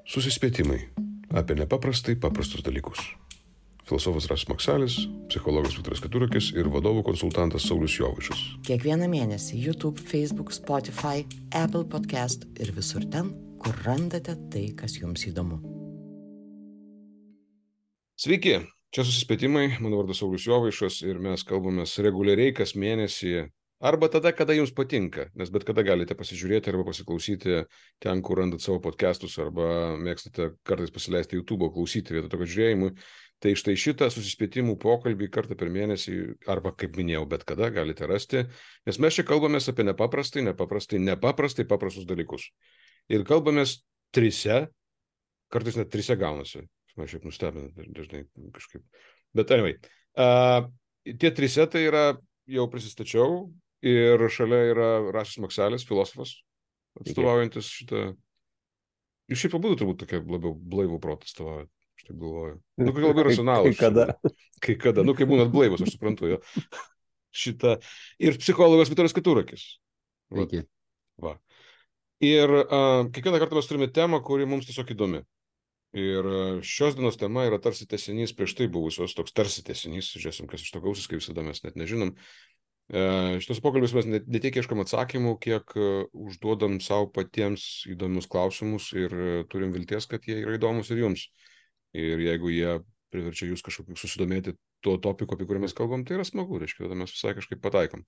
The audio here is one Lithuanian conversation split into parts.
Susispėtimai apie nepaprastai paprastus dalykus. Filosofas Rasas Maksalis, psichologas Viktoras Keturakis ir vadovų konsultantas Saulius Jovaišas. Kiekvieną mėnesį YouTube, Facebook, Spotify, Apple Podcast ir visur ten, kur randate tai, kas jums įdomu. Sveiki, čia Susispėtimai, mano vardas Saulius Jovaišas ir mes kalbamės reguliariai kas mėnesį arba tada, kada jums patinka, nes bet kada galite pasižiūrėti arba pasiklausyti ten, kur randat savo podcastus arba mėgstate kartais pasileisti YouTube'o klausyti vietoj to, kad žiūrėjimui. Tai štai šitą susispėtimų pokalbį kartą per mėnesį arba, kaip minėjau, bet kada galite rasti, nes mes čia kalbamės apie nepaprastai paprastus dalykus. Ir kalbamės trise, kartais net trise gaunasi. Man šiaip nustebina dažnai kažkaip. Bet anyway, tie trise tai yra, jau prisistačiau ir šalia yra Rasas Maksalis, filosofas, atstovaujantis šitą. Jūs šiaip abudu turbūt tokia labiau blaivų protą atstovaujat. Aš taip galvoju. Nu, kai labai racionalus. Kai kada. Nu, kai būnat blaivus, aš suprantu jo. Šitą. Ir psichologas Viktoras Keturakis. Sveiki. Va. Ir kiekvieną kartą mes turime temą, kuri mums tiesiog įdomi. Ir šios dienos tema yra tarsi tęsinys prieš tai buvusios, toks tarsi tęsinys, žiūrėsim, kas iš to gausis, kaip visada mes net nežinom. Šitos pokalbės mes ne tiek ieškam atsakymų, kiek užduodam savo patiems įdomius klausimus ir turim vilties, kad jie yra įdomus ir jums. Ir jeigu jie priverčia jūs kažkokį susidomėti tuo topiku, apie kurį mes kalbam, tai yra smagu, reiškia, tada mes visai kažkaip pataikom.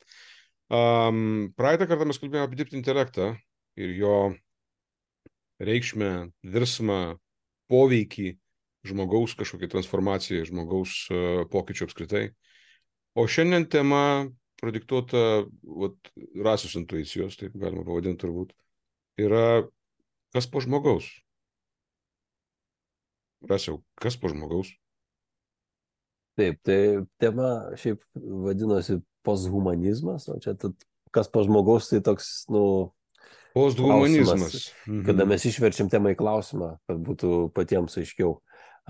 Praeitą kartą mes kalbėjome apie dirbtinį intelektą ir jo reikšmę, virsmą, poveikį žmogaus kažkokiai transformacijai, žmogaus pokyčių apskritai. O šiandien tema pradiktuota Rasos intuicijos, taip galima pavadinti turbūt, yra kas po žmogaus. Rasiau, kas po žmogaus? Taip, tai tema šiaip vadinosi posthumanizmas, o čia kas po žmogaus, tai toks, posthumanizmas. Kada mes išverčiam temą į klausimą, kad būtų patiems aiškiau,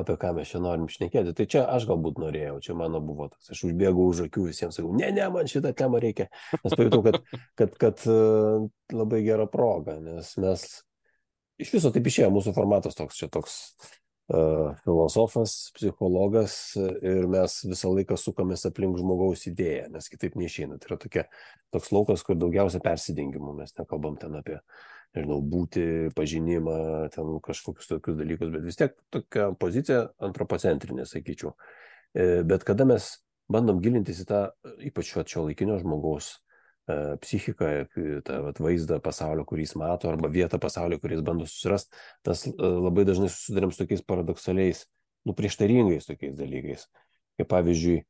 apie ką mes čia norim šnekėti. Tai čia aš galbūt norėjau, čia mano buvo toks, aš užbėgau už akių visiems, sakau, ne, man šitą temą reikia, nes pajutau, kad labai gera proga, nes mes iš viso taip išėjo, mūsų formatas toks, čia toks filosofas, psichologas ir mes visą laiką sukamės aplink žmogaus idėją, nes kitaip neišeina. Tai yra toks laukas, kur daugiausia persidengimų, mes nekalbam ten apie, būti, pažinimą, ten kažkokius tokius dalykus, bet vis tiek tokia pozicija antropocentrinė, sakyčiau. Bet kada mes bandom gilintis į tą, ypač šio laikinio žmogaus psichiką, tą vaizdą pasaulio, kurį jis mato, arba vietą pasaulio, kurį jis bando susirasti, tas labai dažnai susidurėm su tokiais paradoksaliais, prieštaringais tokiais dalykais. Kaip pavyzdžiui,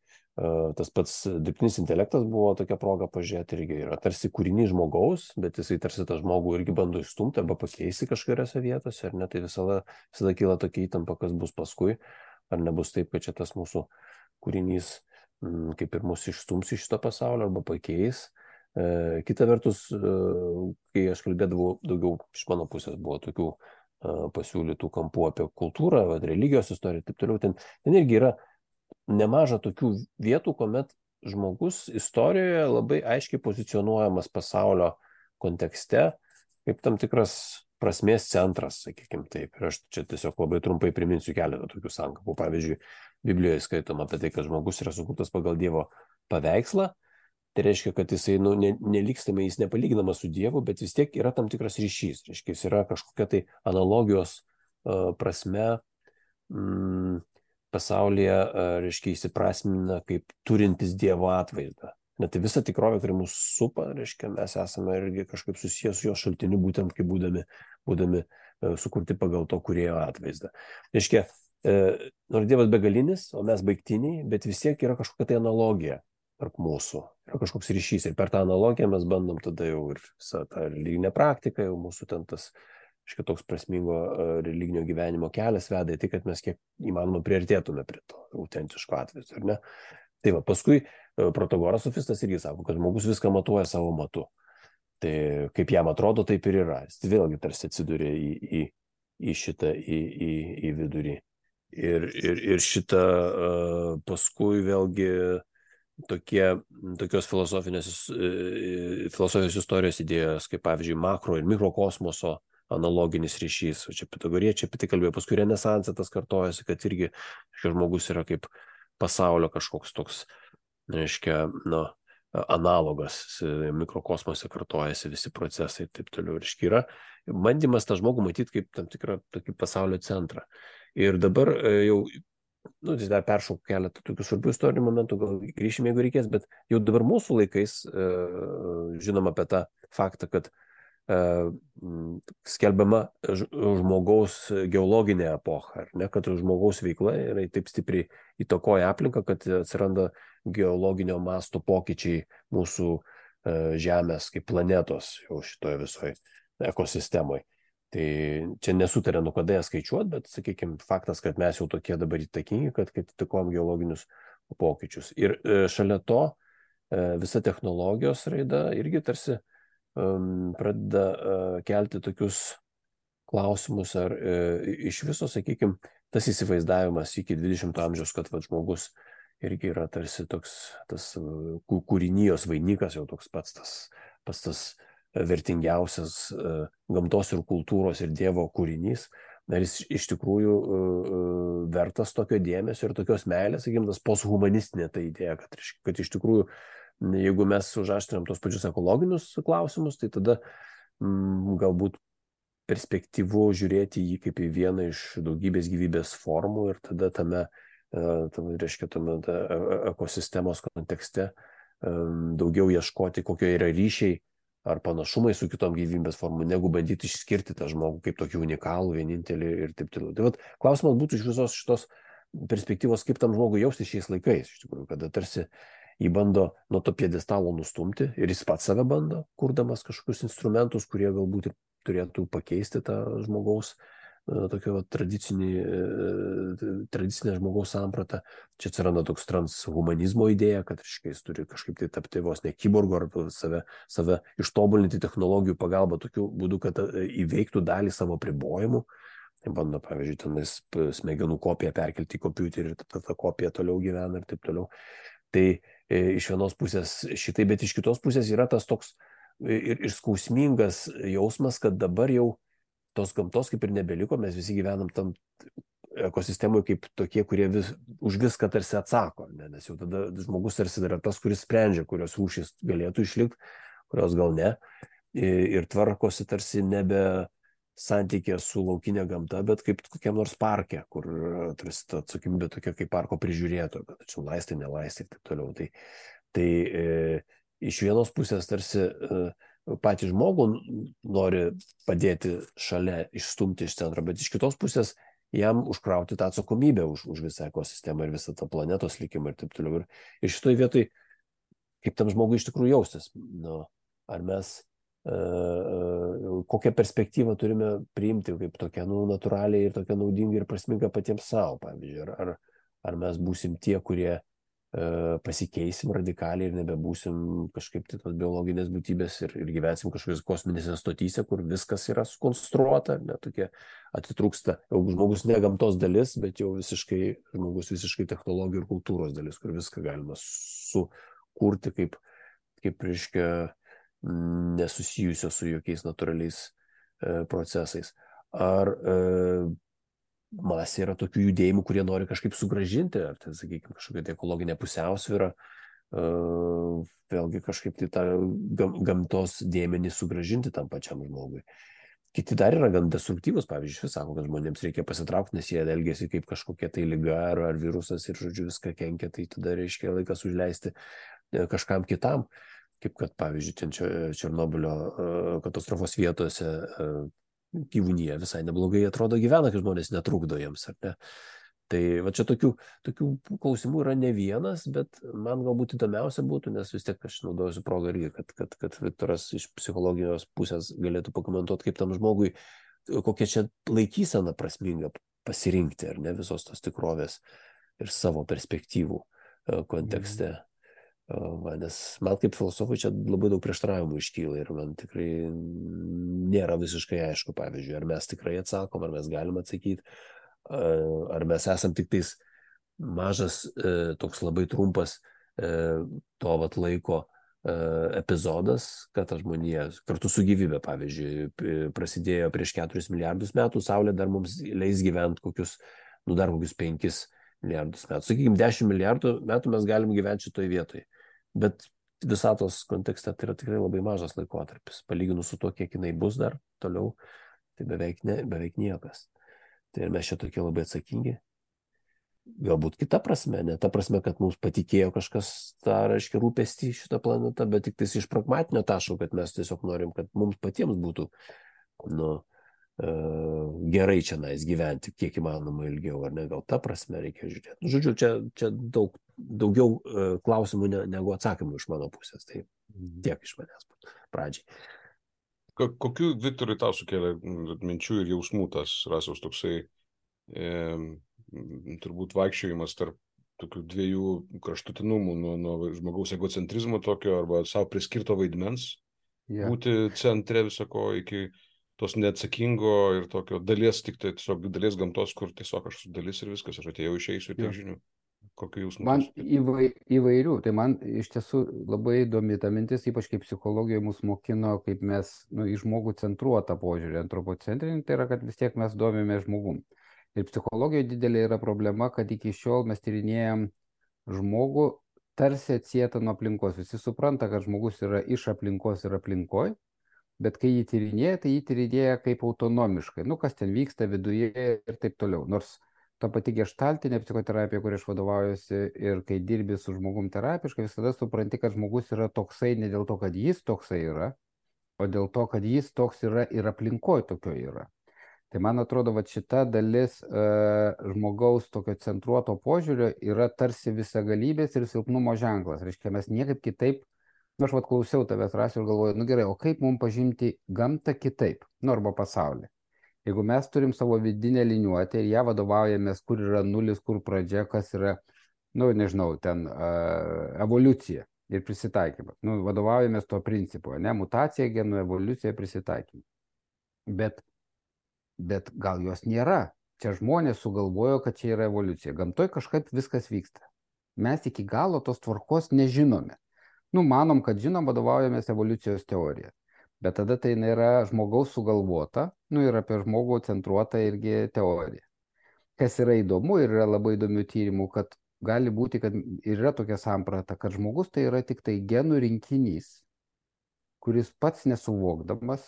tas pats dirbtinis intelektas buvo tokia proga pažiūrėti irgi yra tarsi kūrinys žmogaus, bet jisai tarsi tą žmogų irgi bando išstumti arba pakeisti kažkuriose vietose, ar ne, tai visada kyla tokia įtampa, kas bus paskui, ar nebus taip, kad čia tas mūsų kūrinys kaip ir mus išstums iš šito pasaulio arba pakeis. Kita vertus, kai aš kalbėdavau daugiau iš mano pusės, buvo tokių pasiūlytų kampų apie kultūrą, religijos istoriją ir taip toliau, ten irgi yra nemaža tokių vietų, kuomet žmogus istorijoje labai aiškiai pozicionuojamas pasaulio kontekste, kaip tam tikras prasmės centras, sakykime taip. Ir aš čia tiesiog labai trumpai priminsiu keletą tokių sankapų. Pavyzdžiui, Biblijoje skaitoma apie tai, kad žmogus yra sukurtas pagal Dievo paveikslą. Tai reiškia, kad jisai nelikstame, jis nepalyginamas su Dievu, bet vis tiek yra tam tikras ryšys. Reiškia, jis yra kažkokia tai analogijos prasme pasaulyje, reiškia, įsiprasmina kaip turintis Dievo atvaizdą. Net tai visa tikrovė, kuri mūsų supa, reiškia, mes esame irgi kažkaip susijęs su jo šaltiniu, būtent kaip būdami sukurti pagal to kūrėjo atvaizdą. Reiškia, nors Dievas begalinis, o mes baigtiniai, bet vis tiek yra kažkokia tai analogija tarp mūsų, yra kažkoks ryšys ir per tą analogiją mes bandom tada jau ir visą tą religinę praktiką, jau mūsų ten tas toks prasmingo religinio gyvenimo kelias veda į tai, kad mes kiek įmanoma priartėtume prie to autentiško atvaizdo, ar ne? Tai va, paskui Protagoras sofistas irgi sako, kad žmogus viską matuoja savo matu. Tai kaip jam atrodo, taip ir yra. Jis vėlgi tarsi atsiduria į šitą, į vidurį. Ir šitą paskui vėlgi tokios filosofijos istorijos idėjos, kaip pavyzdžiui makro ir mikrokosmoso analoginis ryšys. O čia pitagoriečiai apie tai kalbėjo, paskui renesansą tas kartojasi, kad irgi šis žmogus yra kaip pasaulio kažkoks toks, reiškia, analogas, mikrokosmose kartojasi visi procesai ir taip toliau. Reiškia, yra bandymas tą žmogų matyti kaip tam tikrą tokį pasaulio centrą. Ir dabar jau, tai dar peršaukiu keletą tokių svarbių istorinių momentų, gal grįšime, jeigu reikės, bet jau dabar mūsų laikais žinom apie tą faktą, kad skelbiama žmogaus geologinė epocha, ar ne, kad žmogaus veikla yra taip stipriai įtakoja aplinką, kad atsiranda geologinio masto pokyčiai mūsų Žemės kaip planetos jau šitoje visoje ekosistemoje. Tai čia nesutarė, kada ją skaičiuot, bet, sakykime, faktas, kad mes jau tokie dabar įtakingi, kad įtakojam geologinius pokyčius. Ir šalia to visa technologijos raida irgi tarsi pradeda kelti tokius klausimus, ar iš viso, sakykime, tas įsivaizdavimas iki 20 amžiaus, kad žmogus irgi yra tarsi toks tas kūrinijos vainikas, jau toks pats tas vertingiausias gamtos ir kultūros ir Dievo kūrinys, ar jis iš tikrųjų vertas tokio dėmesio ir tokios meilės, sakykime, tas posthumanistinė ta idėja, kad iš tikrųjų, jeigu mes užaštrinam tos pačius ekologinius klausimus, tai tada galbūt perspektyvu žiūrėti jį kaip į vieną iš daugybės gyvybės formų ir tada tame ekosistemos kontekste daugiau ieškoti, kokio yra ryšiai ar panašumai su kitom gyvybės formom, negu bandyti išskirti tą žmogų kaip tokį unikalų, vienintelį ir taip toliau. Tai klausimas būtų iš visos šitos perspektyvos, kaip tam žmogui jausti šiais laikais, iš tikrųjų, kada tarsi jį bando nuo to piedestalo nustumti ir jis pats save bando, kurdamas kažkokius instrumentus, kurie galbūt ir turėtų pakeisti tą žmogaus tokio tradicinę žmogaus sampratą. Čia atsiranda toks transhumanizmo idėja, kad jis turi kažkaip tai tapti vos ne kiborgu ar save ištobulinti technologijų pagalba tokiu būdu, kad įveiktų dalį savo apribojimų. Bando, pavyzdžiui, tenais smegenų kopiją perkelti į kompiuterį ir ta kopija toliau gyvena ir taip toliau. Tai iš vienos pusės šitai, bet iš kitos pusės yra tas toks ir skausmingas jausmas, kad dabar jau tos gamtos kaip ir nebeliko, mes visi gyvenam tam ekosistemoje kaip tokie, kurie už viską tarsi atsako, nes jau tada žmogus tarsi yra tas, kuris sprendžia, kurios rūšys galėtų išlikti, kurios gal ne, ir tvarkosi tarsi nebe santykė su laukinė gamta, bet kaip kokiam nors parke, kur tarsi ta atsakomybė tokia kaip parko prižiūrėto, kad čia laistai, nelaistai ir taip toliau. Tai iš vienos pusės tarsi patį žmogų nori padėti šalia, išstumti iš centro, bet iš kitos pusės jam užkrauti tą atsakomybę už visą ekosistemą ir visą tą planetos likimą ir taip toliau. Ir šitoj vietoj, kaip tam žmogui iš tikrųjų jaustis, ar mes kokią perspektyvą turime priimti kaip tokią natūraliai ir tokią naudingą ir prasmingą patiems savo, pavyzdžiui, ar mes būsim tie, kurie pasikeisim radikaliai ir nebebūsim kažkaip tai tos biologinės būtybės ir gyvensim kažkokios kosminėse stotyse, kur viskas yra sukonstruota, tokie atitrūksta. Jau žmogus ne gamtos dalis, bet jau žmogus visiškai technologijų ir kultūros dalis, kur viską galima sukurti kaip reiškia nesusijusio su jokiais natūraliais procesais. Ar masė yra tokių judėjimų, kurie nori kažkaip sugrąžinti, ar tai, sakykime, kažkokia tai ekologinė pusiausvyrą, vėlgi kažkaip tai tą gamtos dėmenį sugrąžinti tam pačiam žmogui. Kiti dar yra gan destruktyvus, pavyzdžiui, sako, kad žmonėms reikia pasitraukti, nes jie elgiasi kaip kažkokia tai liga ar virusas ir, žodžiu, viską kenkia, tai tada reiškia laikas užleisti kažkam kitam, kaip kad, pavyzdžiui, Černobylio katastrofos vietose gyvūnija visai neblogai atrodo gyvena, kai žmonės netrukdo jiems, ar ne? Tai va čia tokių klausimų yra ne vienas, bet man galbūt įdomiausia būtų, nes vis tiek aš naudosiu progą irgi, kad Viktoras iš psichologinės pusės galėtų pakomentuoti, kaip tam žmogui, kokia čia laikysena prasminga pasirinkti, ar ne, visos tos tikrovės ir savo perspektyvų kontekste. Nes man kaip filosofui čia labai daug prieštaravimų iškyla ir man tikrai nėra visiškai aišku, pavyzdžiui, ar mes tikrai atsakom, ar mes galim atsakyti, ar mes esam tik tais mažas, toks labai trumpas to laiko epizodas, kad ta žmonija kartu su gyvybė, pavyzdžiui, prasidėjo prieš 4 milijardus metų, Saulė dar mums leis gyventi dar kokius 5 milijardus metų. Sakykime, 10 milijardų metų mes galim gyventi šitoje vietoje. Bet visatos kontekste tai yra tikrai labai mažas laikotarpis. Palyginus su to, kiek jinai bus dar toliau, tai beveik niekas. Tai ir mes čia tokie labai atsakingi. Galbūt kita prasme, ne ta prasme, kad mums patikėjo kažkas tą, reiškia, rūpestį šitą planetą, bet tik tais iš pragmatinio taško, kad mes tiesiog norim, kad mums patiems būtų gerai čia gyventi, kiek įmanoma ilgiau, ar ne, gal ta prasme reikia žiūrėti. Žodžiu, čia daugiau klausimų negu atsakymų iš mano pusės, tai tiek iš manęs pradžiai. Kokių, Viktorai, tau sukėlė minčių ir jausmų tas Rasiaus toksai turbūt vaikščiojimas tarp tokių dviejų kraštutinumų, nuo žmogaus egocentrizmo tokio arba savo priskirto vaidmens, būti centre visako iki tos neatsakingo ir tokio dalies, tik tai tiesiog dalies gamtos, kur tiesiog aš esu dalis ir viskas, aš atėjau, išeisiu ir tiek žinių. Kokių jausmų? Man įvairių, tai man iš tiesų labai įdomi ta mintis, ypač kaip psichologijoje mus mokino, kaip mes į žmogų centruotą požiūrį, antropocentrinį, tai yra, kad vis tiek mes domime žmogum. Ir psichologijoje didelė yra problema, kad iki šiol mes tyrinėjam žmogų tarsi atsietą nuo aplinkos. Visi supranta, kad žmogus yra iš aplinkos ir aplinkoj, bet kai jį tyrinėja, tai jį tyrinėja kaip autonomiškai. Kas ten vyksta viduje ir taip toliau. Nors ta pati geštaltinė psichoterapija, kuria aš vadovaujuosi, ir kai dirbi su žmogum terapiškai, visada supranti, kad žmogus yra toksai ne dėl to, kad jis toksai yra, o dėl to, kad jis toks yra ir aplinkoj tokio yra. Tai man atrodo, kad šita dalis žmogaus tokio centruoto požiūrio yra tarsi visagalybės ir silpnumo ženklas. Reiškia, mes niekaip kitaip, aš klausiau tavęs, Rasiau, ir galvoju, gerai, o kaip mums pažinti gamtą kitaip, arba pasaulį? Jeigu mes turim savo vidinę liniuotę ir ją vadovaujamės, kur yra nulis, kur pradžia, kas yra, nežinau, ten evoliucija ir prisitaikymas. Vadovaujamės tuo principu, ne, mutacija, genų evoliucija, prisitaikymas. Bet gal jos nėra. Čia žmonės sugalvojo, kad čia yra evoliucija. Gamtoj kažkaip viskas vyksta. Mes iki galo tos tvarkos nežinome. Manom, kad žinom, vadovaujamės evoliucijos teorija. Bet tada tai nėra žmogaus sugalvota, ir apie žmogų centruota irgi teorija. Kas yra įdomu ir yra labai įdomių tyrimų, kad gali būti, kad yra tokia samprata, kad žmogus tai yra tik tai genų rinkinys, kuris pats nesuvokdamas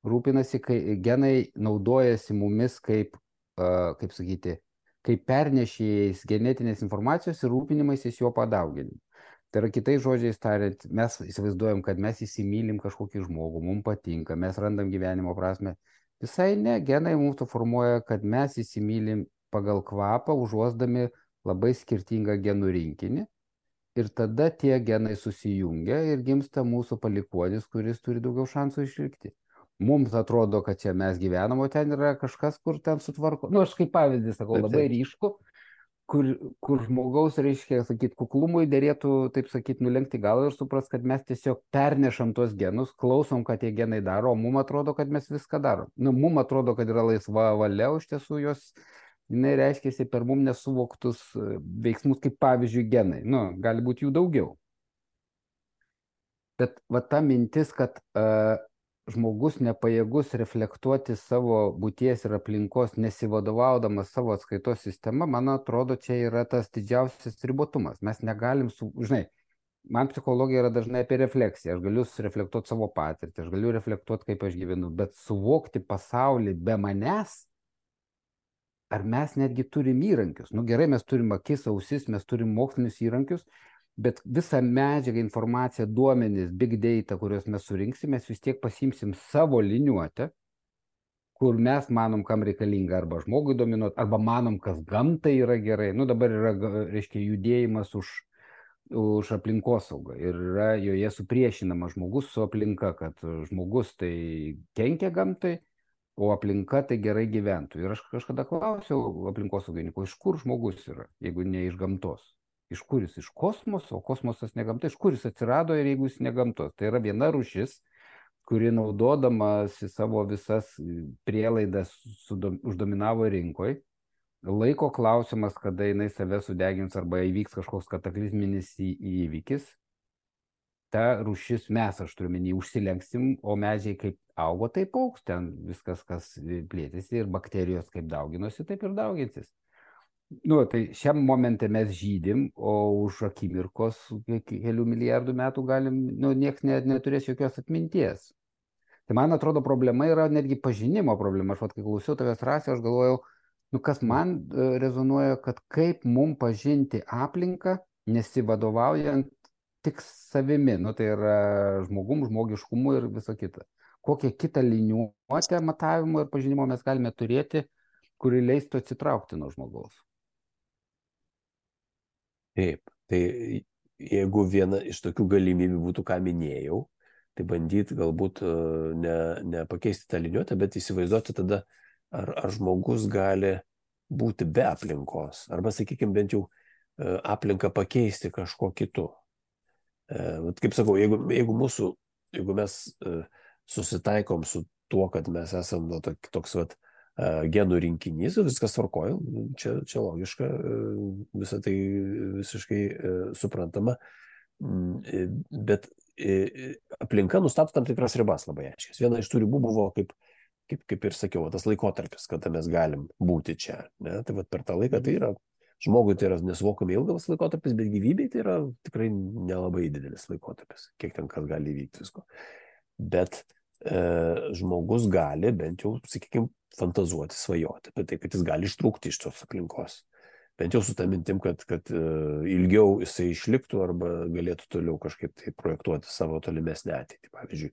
rūpinasi, kai genai naudojasi mumis kaip pernešėjais genetinės informacijos ir rūpinimaisiais jo padauginimu. Tai yra, kitais žodžiais tariant, mes įsivaizduojam, kad mes įsimylim kažkokį žmogų, mums patinka, mes randam gyvenimo prasme. Visai ne, genai mums formuoja, kad mes įsimylim pagal kvapą, užuosdami labai skirtingą genų rinkinį. Ir tada tie genai susijungia ir gimsta mūsų palikuonis, kuris turi daugiau šansų išlikti. Mums atrodo, kad čia mes gyvenam, o ten yra kažkas, kur ten sutvarko. Aš kaip pavyzdį sakau, labai ryšku, kur žmogaus, reiškia, kuklumui dėrėtų, taip sakyti, nulenkti galą ir supras, kad mes tiesiog pernešam tos genus, klausom, kad tie genai daro, o mums atrodo, kad mes viską darom. Mums atrodo, kad yra laisva valia, o iš tiesų jinai reiškiasi per mums nesuvoktus veiksmus, kaip pavyzdžiui genai. Gali būti jų daugiau. Bet ta mintis, kad žmogus nepajėgus reflektuoti savo būties ir aplinkos, nesivadovaudamas savo atskaitos sistema, man atrodo, čia yra tas didžiausias ribotumas. Mes negalim, man psichologija yra dažnai apie refleksiją. Aš galiu reflektuoti savo patirtį, aš galiu reflektuoti, kaip aš gyvenu, bet suvokti pasaulį be manęs, ar mes netgi turim įrankius? Gerai, mes turim akis, ausis, mes turim mokslinius įrankius, bet visą medžiagą, informaciją, duomenis, big data, kuriuos mes surinksim, mes vis tiek pasimsim savo liniuotę, kur mes manom, kam reikalinga arba žmogui dominuoti, arba manom, kas gamtai yra gerai. Dabar yra, reiškia, judėjimas už aplinkosaugą ir yra joje supriešinama žmogus su aplinka, kad žmogus tai kenkia gamtai, o aplinka tai gerai gyventų. Ir aš kažkada klausiau aplinkosaugininkų, iš kur žmogus yra, jeigu ne iš gamtos. Iš kur jis? Iš kosmoso, o kosmosas ne gamta. Iš kur jis atsirado ir jeigu jis ne gamtos? Tai yra viena rūšis, kuri naudodamas savo visas prielaidas uždominavo rinkoje. Laiko klausimas, kada jinai save sudegins arba įvyks kažkoks kataklizminis įvykis. ta rūšis mes, aš turiu menį, užsilenksim, o medžiai kaip augo, taip augs, ten viskas, kas plėtėsi ir bakterijos kaip dauginosi, taip ir dauginsis. Nu, tai šiam momente mes žydim, o už akimirkos kelių milijardų metų galim, nu, nieks neturės jokios atminties. Tai man atrodo problema yra netgi pažinimo problema. Aš kai klausiau tavęs, Rasi, aš galvojau, nu kas man rezonuoja, kad kaip mum pažinti aplinką, nesivadovaujant tik savimi, nu tai yra žmogiškumu ir viso kita. Kokią kitą liniuotę matavimo ir pažinimo mes galime turėti, kuri leistų atsitraukti nuo žmogaus. Taip, tai jeigu viena iš tokių galimybių būtų, ką minėjau, tai bandyti galbūt ne pakeisti tą liniuotę, bet įsivaizduoti tada, ar žmogus gali būti be aplinkos, arba, sakykime, bent jau aplinką pakeisti kažko kitu. Kaip sakau, jeigu mes susitaikom su tuo, kad mes esame toks genų rinkinys, viskas tvarkoja, čia logiška, visą tai visiškai suprantama, bet aplinka nustato tam tikras ribas labai aiškias. Viena iš tų ribų buvo, kaip ir sakiau, tas laikotarpis, kada mes galim būti čia. Ne? Tai per tą laiką tai yra, žmogui tai yra nesuvokiamai ilgas laikotarpis, bet gyvybei tai yra tikrai nelabai didelis laikotarpis, kiek ten kas gali įvykti visko. Bet žmogus gali bent jau, sakykime, fantazuoti, svajoti apie tai, kad jis gali ištrūkti iš tos aplinkos. Bent jau su tą mintim, kad ilgiau jisai išliktų arba galėtų toliau kažkaip tai projektuoti savo tolimesnę ateitį. Pavyzdžiui,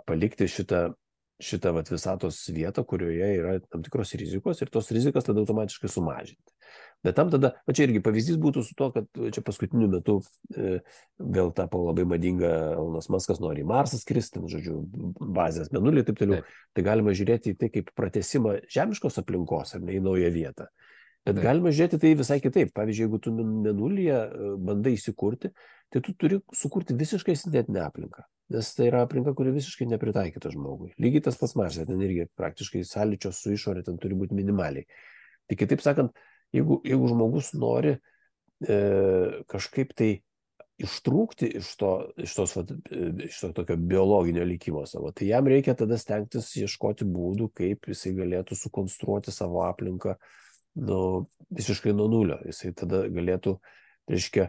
palikti šitą visatos vietą, kurioje yra tam tikros rizikos ir tos rizikas tada automatiškai sumažinti. Bet tam tada, čia irgi pavyzdys būtų su to, kad čia paskutiniu metu vėl tapo labai madinga, Elonas Muskas nori į Marsą skristi, žodžiu, bazės mėnulį ir taip toliau. Tai galima žiūrėti į tai kaip pratęsimą žemiškos aplinkos ar ne į naują vietą. Bet galima žiūrėti tai visai kitaip. Pavyzdžiui, jeigu tu mėnulyje bandai įsikurti, tai tu turi sukurti visiškai sintetinę aplinką. Nes tai yra aplinka, kuri visiškai nepritaikyta žmogui. Lygiai tas pats Marse, ten irgi praktiškai sąlyčio su išorė ten turi būti minimaliai. Tai kitaip sakant, jeigu žmogus nori kažkaip tai ištrūkti iš to tokio biologinio likimo savo, tai jam reikia tada stengtis ieškoti būdų, kaip jisai galėtų sukonstruoti savo aplinką visiškai nuo nulio. Jisai tada galėtų, reiškia,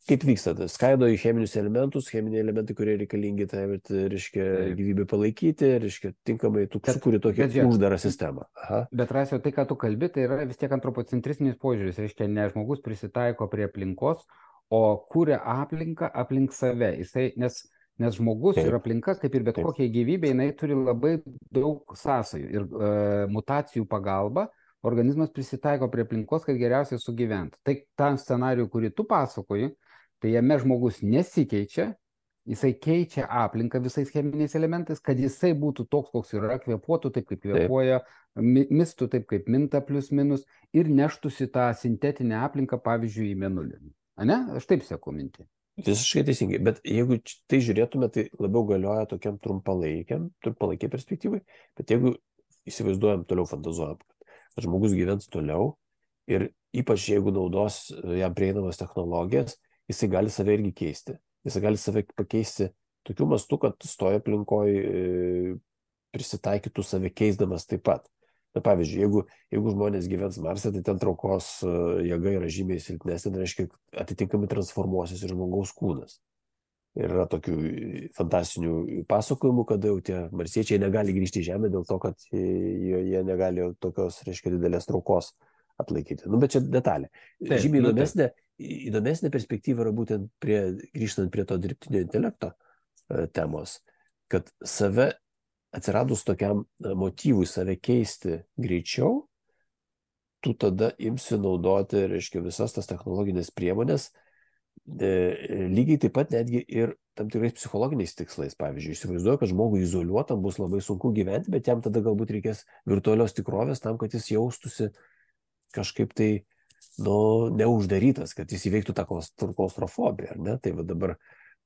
kaip vyksta, skaido į cheminius elementus, cheminiai elementai, kurie reikalingi, tai reiškia gyvybę palaikyti, reiškia tinkamai tu sukuri tokią uždarą sistemą. Aha. Bet Rasio, tai, ką tu kalbi, tai yra vis tiek antropocentristinis požiūris, reiškia ne žmogus prisitaiko prie aplinkos, o kuria aplinką aplink save. Nes žmogus ir aplinkas, kaip ir bet kokia gyvybė, jinai turi labai daug sąsajų ir mutacijų pagalba organizmas prisitaiko prie aplinkos, kad geriausiai sugyventų. Tai tą scenarijų, kurį tu pasakoji, tai jame žmogus nesikeičia, jisai keičia aplinką visais cheminiais elementais, kad jisai būtų toks, koks yra, kvėpuotų taip, kaip kvėpuoja, mistų taip, kaip minta plius minus ir neštųsi tą sintetinę aplinką, pavyzdžiui, į mėnulį. Ane? Aš taip seku mintį. Visiškai teisingai, bet jeigu tai žiūrėtume, tai labiau galioja tokiam trumpalaikiai perspektyvai, bet jeigu įsivaizduojam, toliau fantazuojam, kad žmogus gyvens toliau ir ypač jeigu naudos jam prieinamas technologijas, jisai gali save irgi keisti. Jisai gali save pakeisti tokiu mastu, kad stoja aplinkoje prisitaikytų save keisdamas taip pat. Na, pavyzdžiui, jeigu žmonės gyvens Marse, tai ten traukos jėga yra žymiai silpnesnė, tai reiškia, atitinkamai transformuosis ir žmogaus kūnas. Ir yra tokių fantastinių pasakojimų, kada jau tie marsiečiai negali grįžti į Žemę dėl to, kad jie negali tokios, reiškia, didelės traukos atlaikyti. Bet čia detalė. Žymiai įdomesnė perspektyva yra būtent grįžtant prie to dirbtinio intelekto temos, kad save atsiradus tokiam motyvui save keisti greičiau, tu tada imsi naudoti, reiškia, visas tas technologinės priemonės, lygiai taip pat netgi ir tam tikrais psichologiniais tikslais. Pavyzdžiui, įsivaizduoju, kad žmogui izoliuotam bus labai sunku gyventi, bet jam tada galbūt reikės virtualios tikrovės tam, kad jis jaustųsi kažkaip tai, neuždarytas, kad jis įveiktų tą klaustrofobiją, ar ne? Tai va dabar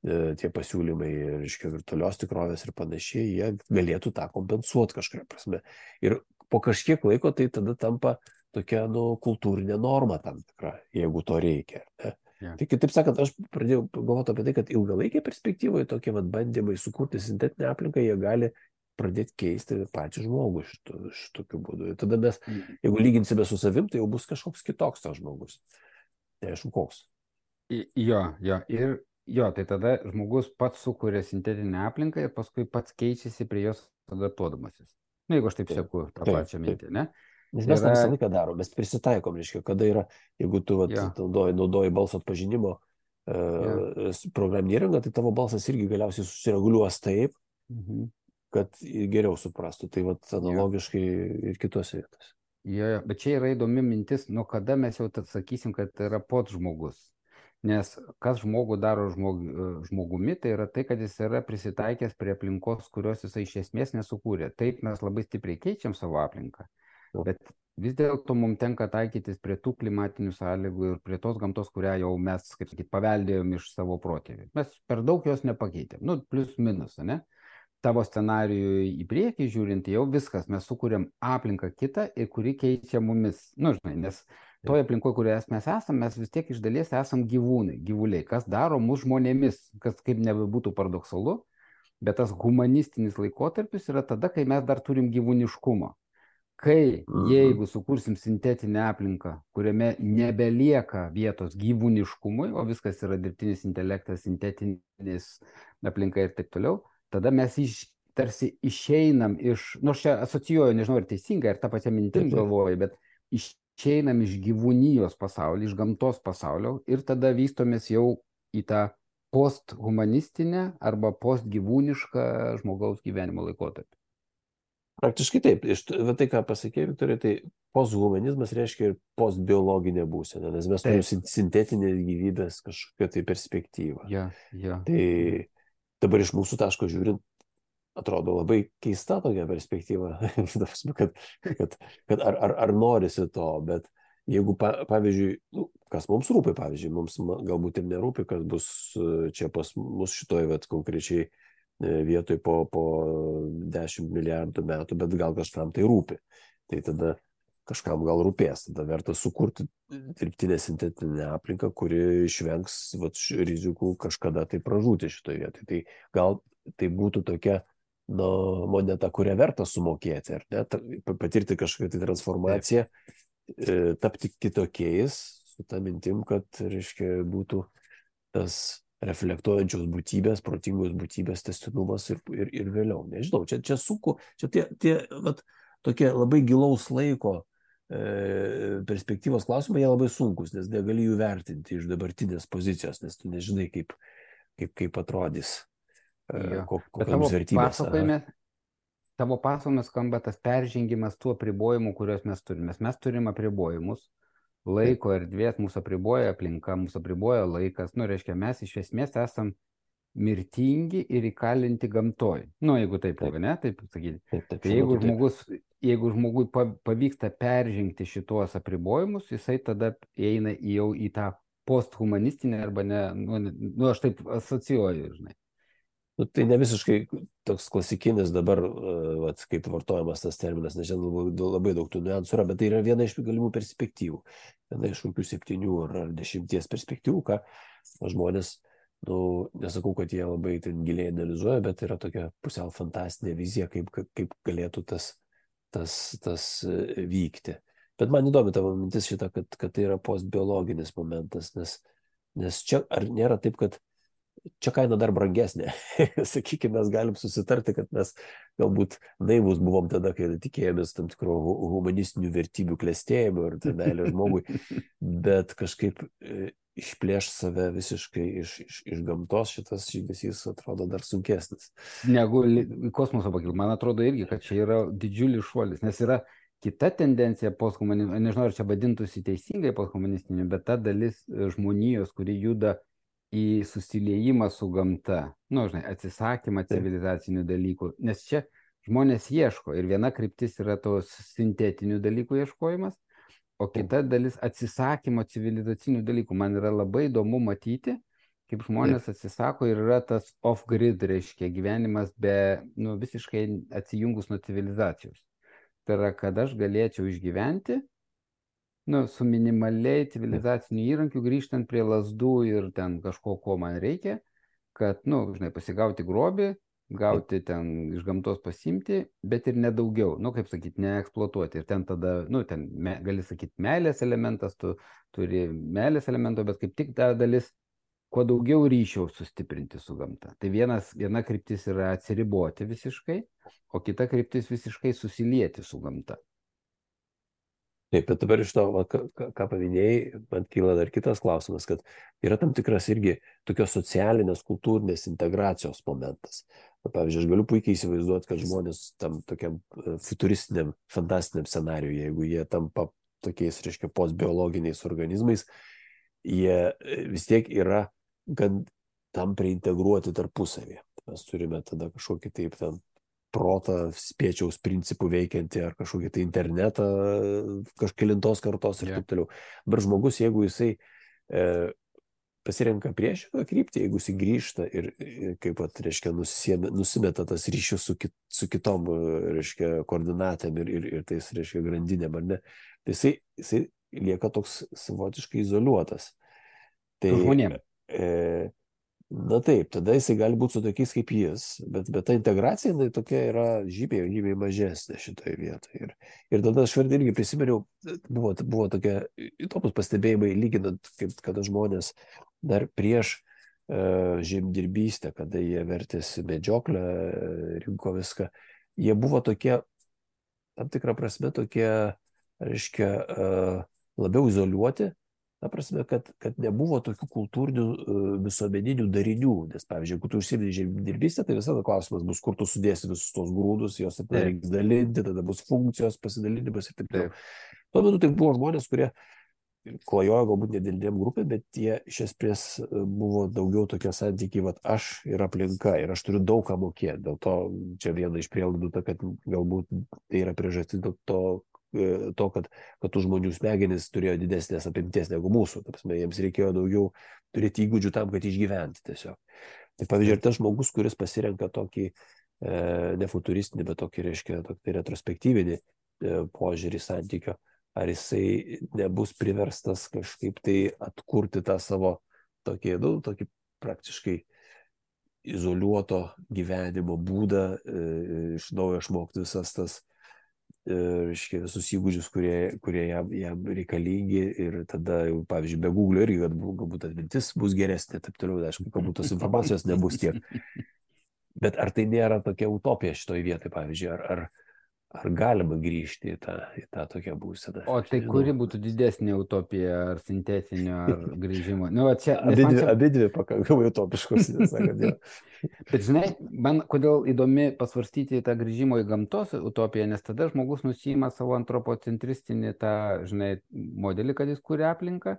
tie pasiūlymai, reiškia, virtualios tikrovės ir panašiai, jie galėtų tą kompensuoti kažkuria prasme. Ir po kažkiek laiko tai tada tampa tokia, kultūrinė norma tam tikra, jeigu to reikia, ne? Yeah. Tai kitaip sakant, aš pradėjau galvoti apie tai, kad ilgalaikėje perspektyvoje tokie bandymai sukurti sintetinę aplinką, jie gali pradėti keisti patį žmogų šitokiu būdu. Ir tada mes, jeigu lyginsime su savim, tai jau bus kažkoks kitoks tas žmogus. Neaišku, koks. Jo. Ir tai tada žmogus pats sukuria sintetinę aplinką ir paskui pats keičiasi prie jos adaptuodamasis. Jeigu aš taip seku tą pačią mintį, ne? Nes mes tą visą laiką darom, mes prisitaikom, reiškia, kada yra, jeigu tu naudoji balso atpažinimo programinį įrangą, tai tavo balsas irgi galiausiai susireguliuos taip, kad geriau suprastų. Tai analogiškai ir kitose vietose. Jo, bet čia yra įdomi mintis, nuo kada mes jau sakysim, kad tai yra pats žmogus. Nes kas žmogų daro žmogumi, tai yra tai, kad jis yra prisitaikęs prie aplinkos, kurios jisai iš esmės nesukūrė. Taip mes labai stipriai keičiam savo aplinką. Bet vis dėlto mums tenka taikytis prie tų klimatinių sąlygų ir prie tos gamtos, kurią jau mes, kaip sakyti, paveldėjom iš savo protėvių. Mes per daug jos nepakeitėm. Plius minus, ne? Tavo scenarijų į priekį žiūrint, jau viskas, mes sukūrėm aplinką kitą ir kuri keičia mumis. Nes toje aplinkoje, kurioje mes esame, mes vis tiek iš dalies esam gyvuliai, kas daro mus žmonėmis, kas kaip nebebūtų paradoksalu, bet tas humanistinis laikotarpis yra tada, kai mes dar turim gyvūniškumą. Kai jeigu sukursim sintetinę aplinką, kuriame nebelieka vietos gyvūniškumui, o viskas yra dirbtinis intelektas, sintetinis aplinka ir taip toliau, tada mes tarsi išeinam iš, aš čia asocijuoju, nežinau, ar teisingai, ar tą pačią mintim galvoju, bet išeinam iš gyvūnijos pasaulio, iš gamtos pasaulio ir tada vystomės jau į tą posthumanistinę arba postgyvūnišką žmogaus gyvenimo laikotarpį. Praktiškai taip. Tai, ką pasakė Viktorija, tai posthumanizmas reiškia ir postbiologinė būsena, nes mes turime sintetinės gyvybės kažkokią tai perspektyvą. Tai dabar iš mūsų taško žiūrint, atrodo labai keista tokia perspektyva, kad ar norisi to, bet jeigu, pavyzdžiui, kas mums rūpi, pavyzdžiui, mums galbūt ir nerūpi, kas bus čia pas mus šitoj konkrečiai vietoj po 10 milijardų metų, bet gal kažkam tai rūpi. Tai tada kažkam gal rūpės, tada verta sukurti dirbtinę sintetinę aplinką, kuri išvengs rizikų kažkada tai pražūti šitoje vietoje. Tai gal tai būtų tokia moneta, kurią verta sumokėti, ar ne? Patirti kažkokią tai transformaciją, tapti kitokiais, su ta mintim, kad, reiškia, būtų tas reflektuojančios būtybės, protingos būtybės tęstinumas ir vėliau. Nežinau, čia sunku, čia tie tokie labai gilaus laiko perspektyvos klausimai, jie labai sunkus, nes negali jų vertinti iš dabartinės pozicijos, nes tu nežinai, kaip atrodys, kokios vertybės. Tavo pasakojimas skamba tas peržengimas tų apribojimų, kuriuos mes turime. Mes turime apribojimus. Laiko erdvės mūsų apriboja aplinka, mūsų apriboja laikas. Reiškia, mes iš esmės esam mirtingi ir įkalinti gamtoj. Jeigu taip, ne? Taip sakyti. Tai jeigu žmogui pavyksta peržengti šitos apribojimus, jisai tada eina jau į tą posthumanistinę arba ne, aš taip asocijuoju, žinai. Tai ne visiškai toks klasikinis dabar, kaip vartojamas tas terminas, nežinau, labai daug tų niuansų yra, bet tai yra viena iš galimų perspektyvų. Viena iš kokių 7 ar 10 perspektyvų, ką žmonės, nesakau, kad jie labai ten giliai analizuoja, bet yra tokia pusiau fantastinė vizija, kaip galėtų tas vykti. Bet man įdomi tavo mintis šitą, kad tai yra postbiologinis momentas, nes čia ar nėra taip, kad čia kaina dar brangesnė. Sakykime, mes galim susitarti, kad mes galbūt naivus buvom tada, kai tikėjomės tam tikro humanistinių vertybių klestėjimo ir meilė žmogui, bet kažkaip išplėš save visiškai iš gamtos, šitas žydesys atrodo dar sunkesnis. Negu kosmoso pakilti. Man atrodo irgi, kad čia yra didžiulis šuolis, nes yra kita tendencija posthumanistinė, nežinau, ar čia vadintųsi teisingai posthumanistinė, bet ta dalis žmonijos, kuri juda į susiliejimą su gamta, atsisakymą civilizacinių dalykų, nes čia žmonės ieško ir viena kryptis yra tos sintetinių dalykų ieškojimas, o kita dalis atsisakymo civilizacinių dalykų. Man yra labai įdomu matyti, kaip žmonės atsisako ir yra tas off-grid, reiškia gyvenimas visiškai visiškai, atsijungus nuo civilizacijos. Tai yra, kad aš galėčiau išgyventi, su minimaliai civilizaciniu įrankiu grįžtant prie lazdų ir ten kažko, ko man reikia, kad, pasigauti grobį, gauti ten iš gamtos pasimti, bet ir nedaugiau, kaip sakyti, neeksploatuoti. Ir ten tada, gali sakyti, meilės elementas, tu turi meilės elemento, bet kaip tik ta dalis, kuo daugiau ryšio sustiprinti su gamta. Tai viena kryptis yra atsiriboti visiškai, o kita kryptis visiškai susilieti su gamta. Taip, bet dabar iš to, ką paminėjai, man kyla dar kitas klausimas, kad yra tam tikras irgi tokios socialinės, kultūrinės integracijos momentas. Pavyzdžiui, aš galiu puikiai įsivaizduoti, kad žmonės tam tokiam futuristiniam, fantastiniam scenariui, jeigu jie tampa tokiais, reiškia, postbiologiniais organizmais, jie vis tiek yra gan tam priintegruoti tarpusavį. Mes turime tada kažkokį taip ten protą spiečiaus principų veikiantį ar kažkokį tai internetą kažkelintos kartos ir taip toliau. Bet žmogus, jeigu jisai pasirenka priešingą kryptį, jeigu jisai grįžta ir kaip pat, reiškia, nusimeta tas ryšius su kitom, reiškia, koordinatėm ir tais, reiškia, grandinėm, ar ne, tai jisai lieka toks savotiškai izoliuotas. Tai žmonėm. Na taip, tada jisai gali būti su tokiais kaip jis, bet ta integracija tokia yra žymiai mažesnė šitoje vietoje. Ir tada aš irgi prisiminiau, buvo tokie įdomus pastebėjimai, lyginant, kaip kada žmonės dar prieš žemdirbystę, kada jie vertėsi medžioklę, rinko viską, jie buvo tokie, tam tikrą prasme, tokie, reiškia, labiau izoliuoti. Ta prasme, kad nebuvo tokių kultūrinių visuomeninių darinių, nes, pavyzdžiui, jeigu tu užsiimi žemdirbystę, tai visada klausimas bus, kur tu sudėsi visus tos grūdus, jos reiks dalinti, tada bus funkcijos, pasidalinimas ir taip toliau. Tuo metu tai buvo žmonės, kurie klajojo galbūt nedidelėm grupėm, bet jie iš esmės buvo daugiau tokie santykiai, aš ir aplinka, ir aš turiu daug ką mokėti. Dėl to čia viena iš prielaidų, kad galbūt tai yra priežastis dėl to, kad tų žmonių smegenys turėjo didesnės apimties negu mūsų. Jiems reikėjo daugiau turėti įgūdžių tam, kad išgyventi tiesiog. Tai pavyzdžiui, tas žmogus, kuris pasirenka tokį ne futuristinį, bet tokį, reiškia, tokį retrospektyvinį požiūrį santykio, ar jisai nebus priverstas kažkaip tai atkurti tą savo tokį praktiškai izoliuoto gyvenimo būdą, iš naujo išmokti visas tas visus įgūdžius, kurie jam reikalingi ir tada, pavyzdžiui, be Google irgi galbūt atmintis bus geresnė, taip toliau, aišku, galbūt tos informacijos nebus tiek. Bet ar tai nėra tokia utopija šitoje vietoje, pavyzdžiui, ar galima grįžti į tą tokią būseną? O tai kuri būtų didesnė utopija, ar sintetinio, ar grįžimo? Abidvi pakankamai utopiškos, nesakant, jo. Bet žinai, man kodėl įdomi pasvarstyti tą grįžimo į gamtos utopiją, nes tada žmogus nusima savo antropocentristinį tą, žinai, modelį, kad jis kuria aplinką,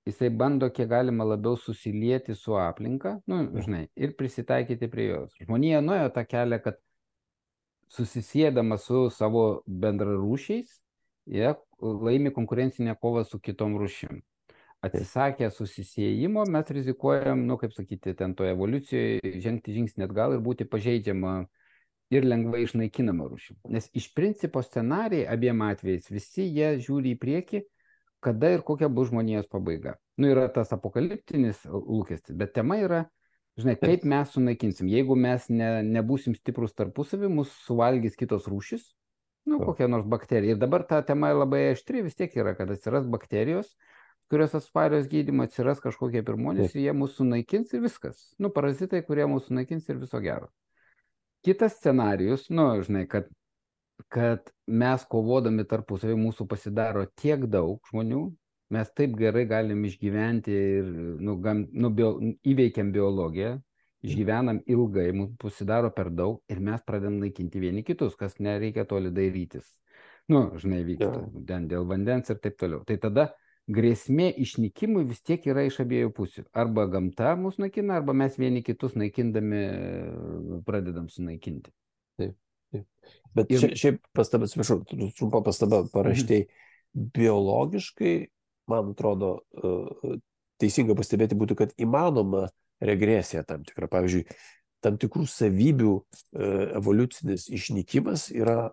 jisai bando kiek galima labiau susilieti su aplinka, žinai, ir prisitaikyti prie jos. Žmonija nuėjo tą kelią, kad susisėdama su savo bendrarūšiais, jie laimi konkurencinę kovą su kitom rūšim. Atsisakę susisiejimo, mes rizikuojam, kaip sakyti, ten toje evoliucijoje žengti žingsnį atgal ir būti pažeidžiama ir lengvai išnaikinama rūšim. Nes iš principo scenarijai abiem atvejais visi jie žiūri į priekį, kada ir kokia bus žmonijos pabaiga. Yra tas apokaliptinis lūkestis, bet tema yra, žinai, kaip mes sunaikinsim. Jeigu mes nebūsim stiprus tarpusavį, mus suvalgys kitos rūšis, kokia nors bakterija. Ir dabar ta tema labai aštri vis tiek yra, kad atsiras bakterijos, kurios atsparios gydymą, atsiras kažkokie pirmonės ir jie mūsų sunaikins ir viskas. Parazitai, kurie mūsų sunaikins ir viso gero. Kitas scenarijus, žinai, kad mes kovodami tarpusavį mūsų pasidaro tiek daug žmonių, mes taip gerai galim išgyventi ir įveikiam biologiją, išgyvenam ilgai, mums pasidaro per daug ir mes pradedam naikinti vieni kitus, kas nereikia toli dairytis. Žinai, vyksta dėl vandens ir taip toliau. Tai tada grėsmė išnykimui vis tiek yra iš abiejų pusių. Arba gamta mus naikina, arba mes vieni kitus naikindami pradedam sunaikinti. Taip. Bet šiaip pastaba, atsiprašau, trumpa pastaba paraštei. Biologiškai, man atrodo, teisinga pastebėti būtų, kad įmanoma regresija tam tikra. Pavyzdžiui, tam tikrų savybių evoliucinis išnykimas yra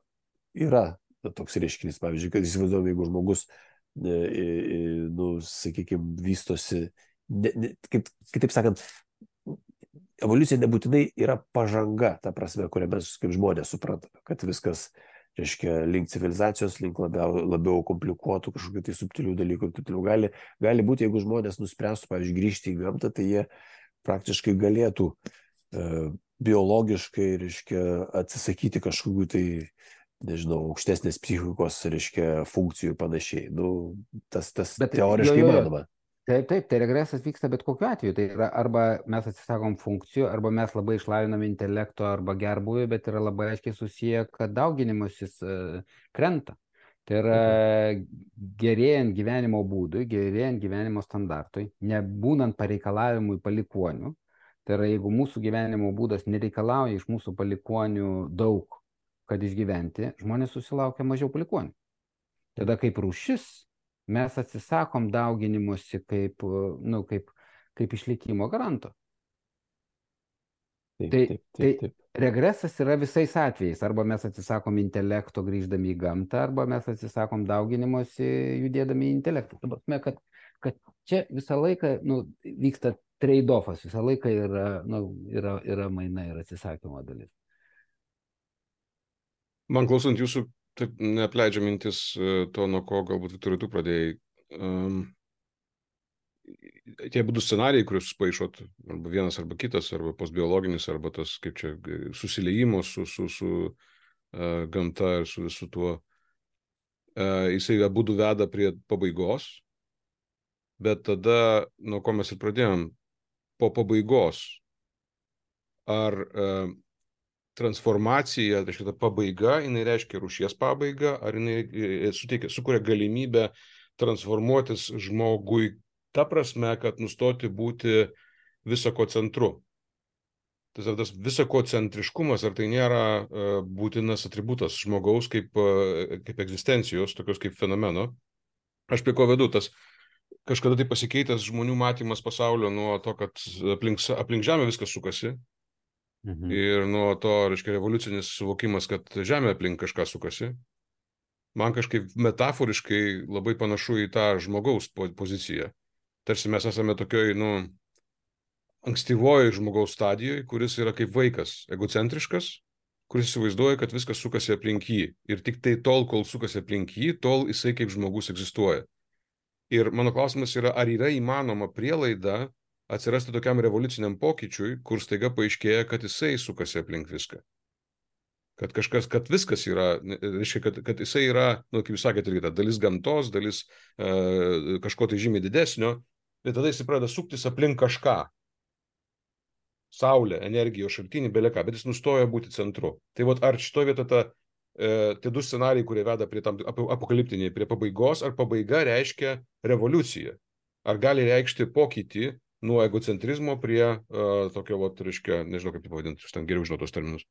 toks reiškinys. Pavyzdžiui, kad įsivaizduojame, jeigu žmogus sakykime, vystosi, kitaip sakant, evoliucija nebūtinai yra pažanga, ta prasme, kurią mes kaip žmonės suprantame, kad viskas, reiškia, link civilizacijos, link labiau komplikuotų kažkokių tai subtilių dalykų ir taip toliau. Gali būti, jeigu žmonės nuspręstų, pavyzdžiui, grįžti į gamtą, tai jie praktiškai galėtų biologiškai, reiškia, atsisakyti kažkokių tai, nežinau, aukštesnės psichikos, reiškia, funkcijų ir panašiai. Tas teoriškai įmanoma. Taip, tai regresas vyksta bet kokiu atveju. Tai yra arba mes atsisakom funkcijų, arba mes labai išlaviname intelekto arba gerbuvį, bet yra labai aiškiai susiję, kad dauginimasis krenta. Tai yra gerėjant gyvenimo būdui, gerėjant gyvenimo standartui, nebūnant pareikalavimui palikonių. Tai yra, jeigu mūsų gyvenimo būdas nereikalauja iš mūsų palikonių daug, kad išgyventi, žmonės susilaukia mažiau palikonių. Tada kaip rūšis mes atsisakom dauginimuose kaip išlikimo garanto. Tai regresas yra visais atvejais. Arba mes atsisakom intelekto grįždami į gamtą, arba mes atsisakom dauginimuose judėdami į intelektą. Kad čia visą laiką vyksta trade-offas, visą laiką yra maina ir atsisakymo dalis. Man klausant jūsų, taip neapleidžia mintis to, nuo ko galbūt Viktorai tu pradėjai. Tie būdų scenarijai, kuriuos paišot, arba vienas, arba kitas, arba postbiologinis, arba tas, kaip čia, susiliejimo su gamta ir su visu tuo, jisai abudu veda prie pabaigos, bet tada, nuo ko mes ir pradėjom, po pabaigos, ar transformacija, tai šitą pabaiga, jinai reiškia rūšies pabaigą, ar jinai sukuria galimybę transformuotis žmogui ta prasme, kad nustoti būti visako centru. Tas visako centriškumas, ar tai nėra būtinas atributas žmogaus kaip egzistencijos, tokios kaip fenomeno. Aš prie ko vedu, tas kažkada tai pasikeitęs žmonių matymas pasaulio nuo to, kad aplink Žemę viskas sukasi. Ir nuo to, reiškia, revoliucinis suvokimas, kad Žemė aplink kažką sukasi. Man kažkaip metaforiškai labai panašu į tą žmogaus poziciją. Tarsi mes esame tokioj, ankstyvoji žmogaus stadijoje, kuris yra kaip vaikas, egocentriškas, kuris įsivaizduoja, kad viskas sukasi aplink jį. Ir tik tai tol, kol sukasi aplink jį, tol jisai kaip žmogus egzistuoja. Ir mano klausimas yra, ar yra įmanoma prielaida atsirasti tokiam revoliuciniam pokyčiui, kur staiga paaiškėja, kad jisai sukasi aplink viską. Kad viskas yra, reiškia, kad jisai yra, kaip jūs sakėte, irgi ta dalis gamtos, dalis kažko tai žymiai didesnio, bet tada jisai pradeda suktis aplink kažką. Saulė, energijos šaltinį, beleką, bet jis nustoja būti centru. Tai ar šitoje vietoje tie du scenarijai, kurie veda prie tam apokaliptiniai, prie pabaigos, ar pabaiga reiškia revoliuciją? Ar gali reikšti pokytį nuo egocentrizmo prie tokio, reiškia, nežinau kaip tai pavadinti, aš ten geriau žinau tos terminus,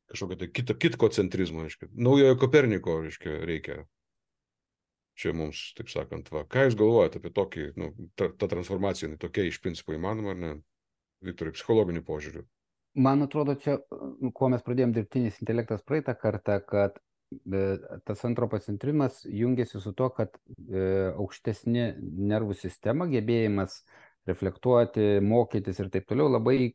kažkokio tai kitkocentrizmo, reiškia, naujojo Koperniko, reiškia, reikia. Čia mums, taip sakant, ką jūs galvojate apie tokį, ta transformacija, tokia iš principo įmanoma, ar ne, Viktorai, psichologiniu požiūriu? Man atrodo, čia, kuo mes pradėjom dirbtinis intelektas praeitą kartą, kad tas antropocentrimas jungiasi su to, kad aukštesnė nervų sistema, gebėjimas reflektuoti, mokytis ir taip toliau labai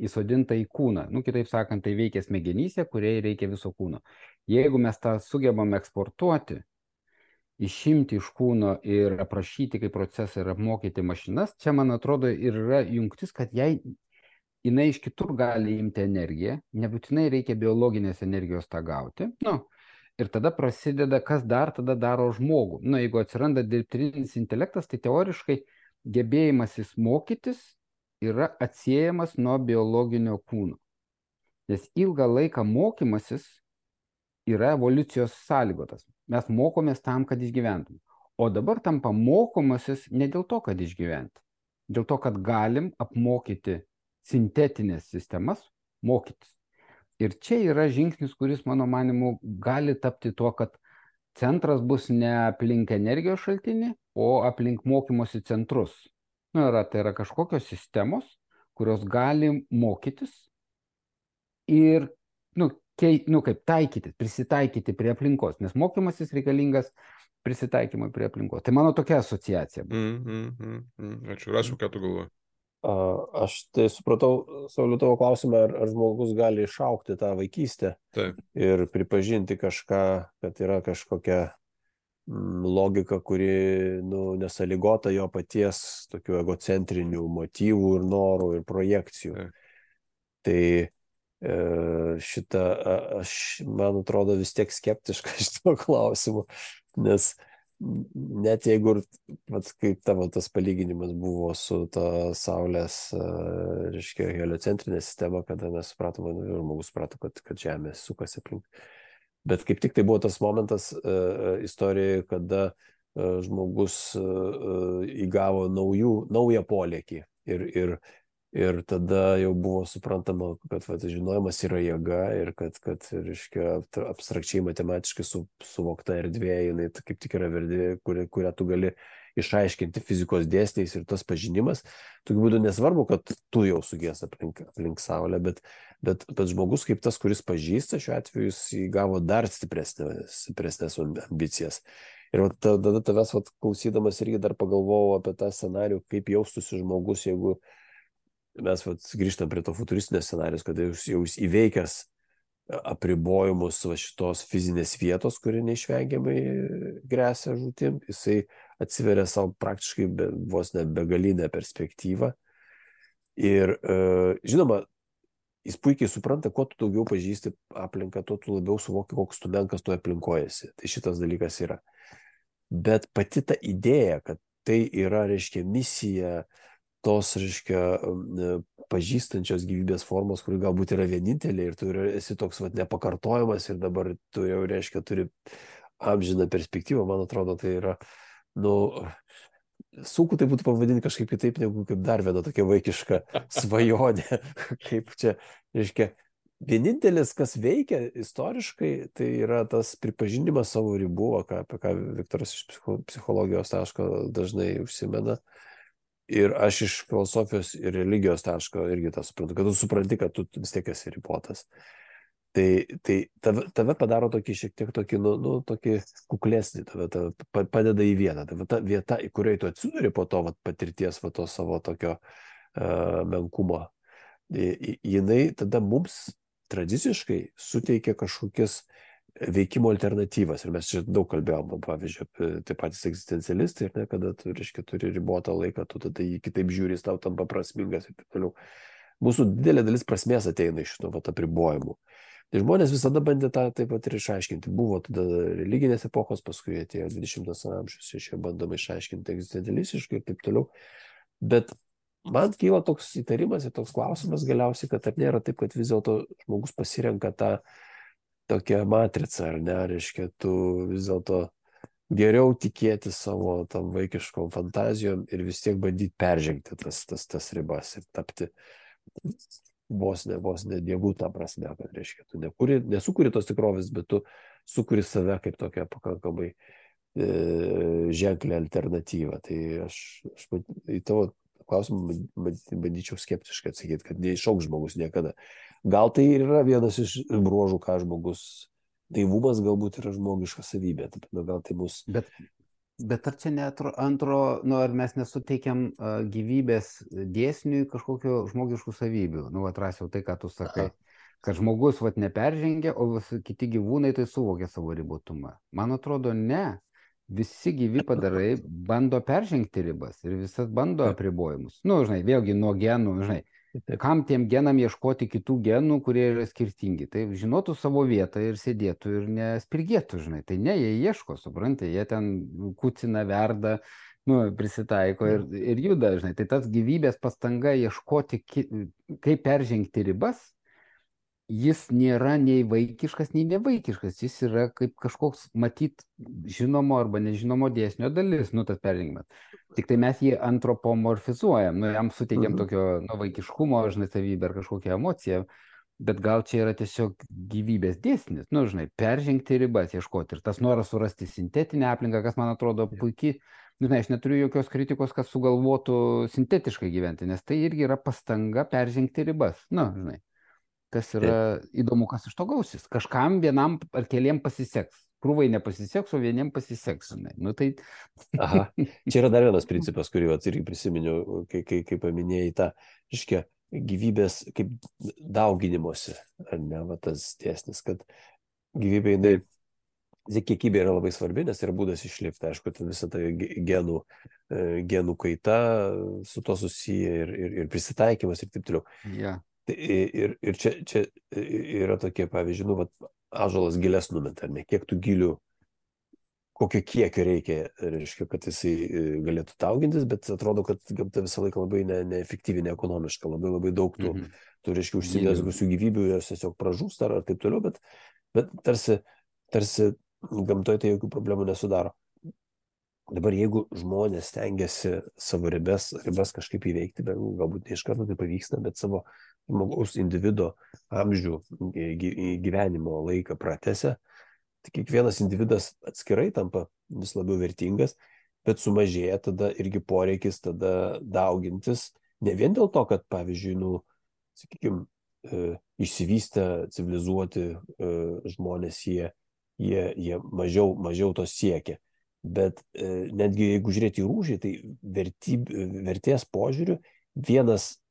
įsodinta į kūną. Kitaip sakant, tai veikia smegenyse, kuriai reikia viso kūno. Jeigu mes tą sugebam eksportuoti, išimti iš kūno ir aprašyti kaip procesą ir apmokyti mašinas, čia, man atrodo, ir yra jungtis, kad jinai iš kitur gali imti energiją, nebūtinai reikia biologinės energijos tą gauti. Ir tada prasideda, kas dar tada daro žmogų. Jeigu atsiranda dirbtinis intelektas, tai teoriškai gebėjimasis mokytis yra atsiejamas nuo biologinio kūno. Nes ilgą laiką mokymasis yra evoliucijos sąlygotas. Mes mokomės tam, kad išgyventum. O dabar tampa mokomasis ne dėl to, kad išgyventi. Dėl to, kad galim apmokyti sintetinės sistemas mokytis. Ir čia yra žingsnis, kuris, mano manimu, gali tapti tuo, kad centras bus ne aplink energijos šaltinį, o aplink mokymosi centrus. Tai yra kažkokios sistemos, kurios gali mokytis ir kaip taikyti, prisitaikyti prie aplinkos, nes mokymasis reikalingas prisitaikymui prie aplinkos. Tai mano tokia asociacija. Ačiū, Rasiu, ką tu galvoji? Aš tai supratau, Sauliau, tavo klausimą, ar žmogus gali išaukti tą vaikystę Taip. ir pripažinti kažką, kad yra kažkokia logika, kuri nesąlygota jo paties tokių egocentrinių motyvų ir norų ir projekcijų. Taip. Tai šitą, aš, man atrodo, vis tiek skeptiška šito klausimu, nes net jeigu, kaip tavo tas palyginimas buvo su ta Saulės, reiškia, heliocentrinė sistema, kada mes supratome, žmogus suprato, kad Žemė sukasi aplink. Bet kaip tik tai buvo tas momentas istorijoje, kada žmogus įgavo naują polėkį ir tada jau buvo suprantama, kad žinojimas yra jėga ir kad reiškia, abstrakčiai matematiškai suvokta erdvė, jinai kaip tik yra verdi, kurią tu gali išaiškinti fizikos dėsniais ir tas pažinimas. Tokiu būdu nesvarbu, kad tu jau sugies aplink Saulę, bet žmogus kaip tas, kuris pažįsta, šiuo atveju jis įgavo dar stipresnės ambicijas. Ir tada tavęs klausydamas irgi dar pagalvojau apie tą scenarių, kaip jaustųsi žmogus, jeigu mes grįžtam prie to futuristinio scenarijos, kada jau įveikęs apribojimus šitos fizinės vietos, kuri neišvengiamai gresia žūtim, jisai atsiveria savo praktiškai vos ne begalinę perspektyvą. Ir žinoma, jis puikiai supranta, kuo tu daugiau pažįsti aplinką, tuo tu labiau suvoki, koks tu menkas tu aplinkojasi. Tai šitas dalykas yra. Bet pati ta idėja, kad tai yra, reiškia, misija tos, reiškia, pažįstančios gyvybės formos, kuri galbūt yra vienintelė ir tu esi toks nepakartojamas ir dabar tu jau, reiškia, turi amžiną perspektyvą, man atrodo, tai yra, sunku tai būtų pavadinti kažkaip kitaip, negu kaip dar viena tokia vaikiška svajonė, kaip čia, reiškia, vienintelis, kas veikia istoriškai, tai yra tas pripažinimas savo ribų, apie ką Viktoras iš psichologijos taško dažnai užsimena. Ir aš iš filosofijos ir religijos taško irgi tą suprantu, kad tu supranti, kad tu vis tiek esi ribotas. Tai tave padaro tokį šiek tiek tokį, tokį kuklesnį, tave padeda į vieną. Ta vieta, į kuriai tu atsiduri po to patirties, to savo tokio menkumo, jinai tada mums tradiciškai suteikia kažkokias veikimo alternatyvas. Ir mes čia daug kalbėjom, pavyzdžiui, taip patys egzistencialistai, kada tu, reiškia, turi ribotą laiką, tu tada jį kitaip žiūri, tau tampa prasmingas ir taip toliau. Mūsų didelė dalis prasmės ateina iš šito apribojimų. Tai žmonės visada bandė tą taip pat ir išaiškinti. Buvo tada religinės epochos, paskui atėjo 20 amžius, iš jo bandoma išaiškinti egzistencialistiškai ir taip toliau. Bet man kyla toks įtarimas ir toks klausimas galiausiai, kad ar nėra taip, kad vis dėlto žmogus pasirenka tą tokia matrica, ar ne, reiškia, tu vis dėlto geriau tikėti savo tam vaikiškom fantazijom ir vis tiek bandyti peržengti tas ribas ir tapti vos ne dievų tą prasme, kad reiškia, tu nesukuri tos tikrovės, bet tu sukuri save kaip tokią pakankamai ženklę alternatyvą. Tai aš į tavo klausimą bandyčiau skeptiškai atsakyti, kad neišauks žmogus niekada. Gal tai yra vienas iš bruožų, ką žmogus, naivumas galbūt yra žmogiška savybė, gal tai bus. Bet ar čia ar mes nesuteikiam gyvybės dėsniui kažkokio žmogiškų savybių? Atrasiau tai, ką tu sakai, kad žmogus neperžengia, o kiti gyvūnai tai suvokia savo ribotumą. Man atrodo, ne. Visi gyvi padarai bando peržengti ribas ir visas bando apribojimus. Vėlgi nuo genų, kam tiem genam ieškoti kitų genų, kurie yra skirtingi. Tai žinotų savo vietą ir sėdėtų ir nespirgėtų, Tai ne, jie ieško, suprantate, jie ten kucina, verda, prisitaiko ir juda, Tai tas gyvybės pastanga ieškoti, kaip peržengti ribas, jis nėra nei vaikiškas, nei nevaikiškas. Jis yra kaip kažkoks, matyt, žinomo arba nežinomo dėsnio dalis, tas peržengimas. Tik tai mes jį antropomorfizuojam, jam suteikiam tokio vaikiškumo, savybę ar kažkokią emociją, bet gal čia yra tiesiog gyvybės dėsnis, peržengti ribas, ieškoti. Ir tas noras surasti sintetinę aplinką, kas man atrodo puikiai, aš neturiu jokios kritikos, kas sugalvotų sintetiškai gyventi, nes tai irgi yra pastanga peržengti ribas, kas yra įdomu, kas iš to gausis. Kažkam vienam ar keliem pasiseks. Krūvai nepasiseks, o vieniem pasiseks. Nu, tai... Aha, čia yra dar vienas principas, kurį irgi prisiminiau, kai paminėjai tą, reiškia, gyvybės kaip dauginimuose, ar ne, va, tas tiesnis, kad gyvybė, kiekybė yra labai svarbi, nes yra būdas išlikti, aišku, visą tą genų kaita su to susiję ir prisitaikymas ir taip toliau. Yeah. Ir čia yra tokie, pavyzdžiui, nu, va, ąžuolas gilės numeta, ar ne, kiek tų gilių, kokio kiekio reikia, reiškia, kad jisai galėtų daugintis, bet atrodo, kad gamta visą laiką labai neefektyviai, neekonomiška, labai daug tų, reiškia, užsimezgusių gyvybių, jos tiesiog pražūsta ar taip toliau, bet tarsi gamtoje tai jokių problemų nesudaro. Dabar jeigu žmonės stengiasi savo ribas kažkaip įveikti, bet galbūt ne iš karto tai pavyksta, bet savo žmogaus individo amžių gyvenimo laiką pratęsia, tai kiekvienas individas atskirai tampa vis labiau vertingas, bet sumažėja tada irgi poreikis tada daugintis, ne vien dėl to, kad, pavyzdžiui, sakykime, išsivystę, civilizuoti žmonės, jie mažiau to siekia. Bet netgi jeigu žiūrėti į rūšį, tai vertės požiūriu vienas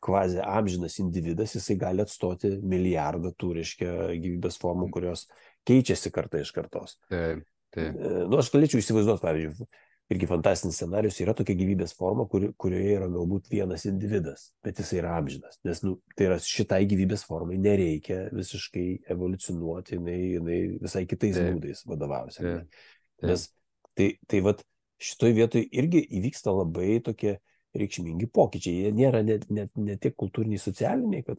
kvazi amžinas individas, jisai gali atstoti milijardą tų, reiškia, gyvybės formų, kurios keičiasi kartą iš kartos. Taip. Nu, aš galėčiau įsivaizduoti, pavyzdžiui, irgi fantastinis scenarius, yra tokia gyvybės forma, kurioje yra galbūt vienas individas, bet jisai yra amžinas. Nes tai yra šitai gyvybės formai nereikia visiškai evoliucionuoti, jinai visai kitais būdais vadovausia. Nes tai vat šitoj vietoj irgi įvyksta labai tokie reikšmingi pokyčiai. Jie nėra ne tiek kultūriniai, socialiniai, kad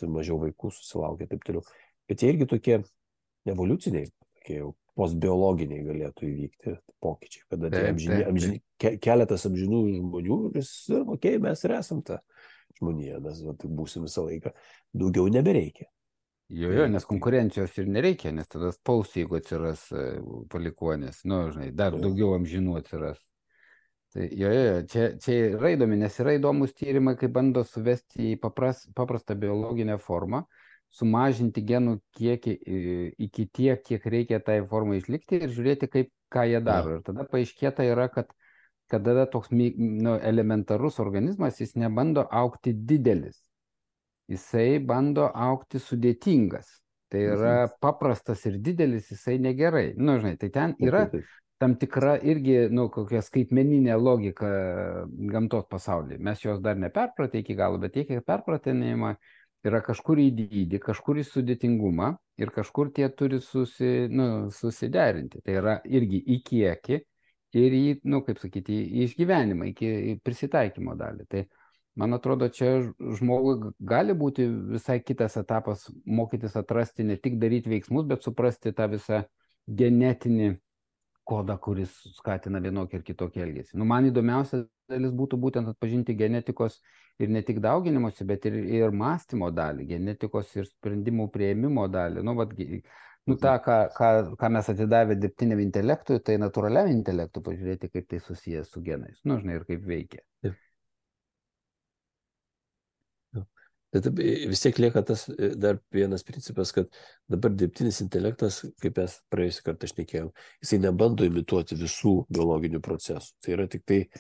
mažiau vaikų susilaukia taip toliau, bet jie irgi tokie evoliuciniai, tokie jau postbiologiniai galėtų įvykti pokyčiai, kada keletas amžinų žmonių ir mes ir esam ta žmonija, mes būsim visą laiką, daugiau nebereikia. Jo, nes konkurencijos ir nereikia, nes tada spaus, jeigu atsiras palikuonės, dar daugiau amžinų atsiras. Tai čia yra įdomi, nes yra įdomus tyrimai, kai bando suvesti į paprastą biologinę formą, sumažinti genų kiekį iki tiek, kiek reikia tai formai išlikti ir žiūrėti, ką jie daro. Ir tada paaiškėta yra, kad tada toks elementarus organizmas, jis nebando augti didelis. Jisai bando augti sudėtingas. Tai yra paprastas ir didelis, jisai negerai. Tai ten yra tam tikra irgi, kokia skaitmeninė logika gamtos pasaulyje. Mes jos dar neperpratę iki galo, bet tiek perpratinėjimą yra kažkur į dydį, kažkur į sudėtingumą ir kažkur tie turi susiderinti. Tai yra irgi į kiekį ir į, į išgyvenimą, į prisitaikymo dalį. Tai man atrodo, čia žmogui gali būti visai kitas etapas mokytis atrasti, ne tik daryti veiksmus, bet suprasti tą visą genetinį kodą, kuris skatina vienokį ir kitokį elgesį. Man įdomiausia dalis būtų būtent atpažinti genetikos ir ne tik dauginimosi, bet ir mąstymo dalį, genetikos ir sprendimų priėmimo dalį. tą, ką mes atidavę dirbtiniam intelektui, tai natūraliam intelektui pažiūrėti, kaip tai susijęs su genais. Ir kaip veikia. Bet vis tiek lieka tas dar vienas principas, kad dabar dirbtinis intelektas, kaip mes praėjusį kartą šnekėjom, jisai nebando imituoti visų biologinių procesų. Tai yra tik tai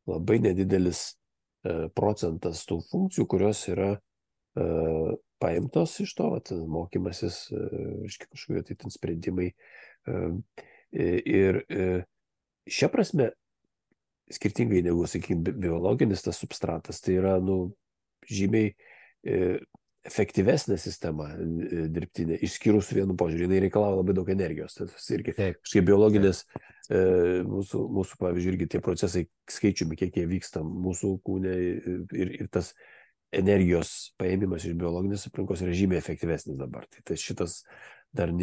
labai nedidelis procentas tų funkcijų, kurios yra paimtos iš to, mokymasis, kažkokie tai ten sprendimai. Ir šia prasme, skirtingai negu, sakykime, biologinis tas substratas, tai yra, žymiai efektyvesnė sistema dirbtinė, išskyrus vienu požiūrį, jinai reikalauja labai daug energijos. Tai irgi kažkaip biologinės, mūsų, pavyzdžiui, irgi tie procesai skaičiumi, kiek jie vyksta mūsų kūne ir tas energijos paėmimas iš biologinės aplinkos yra žymiai efektyvesnis dabar. Tai šitas dar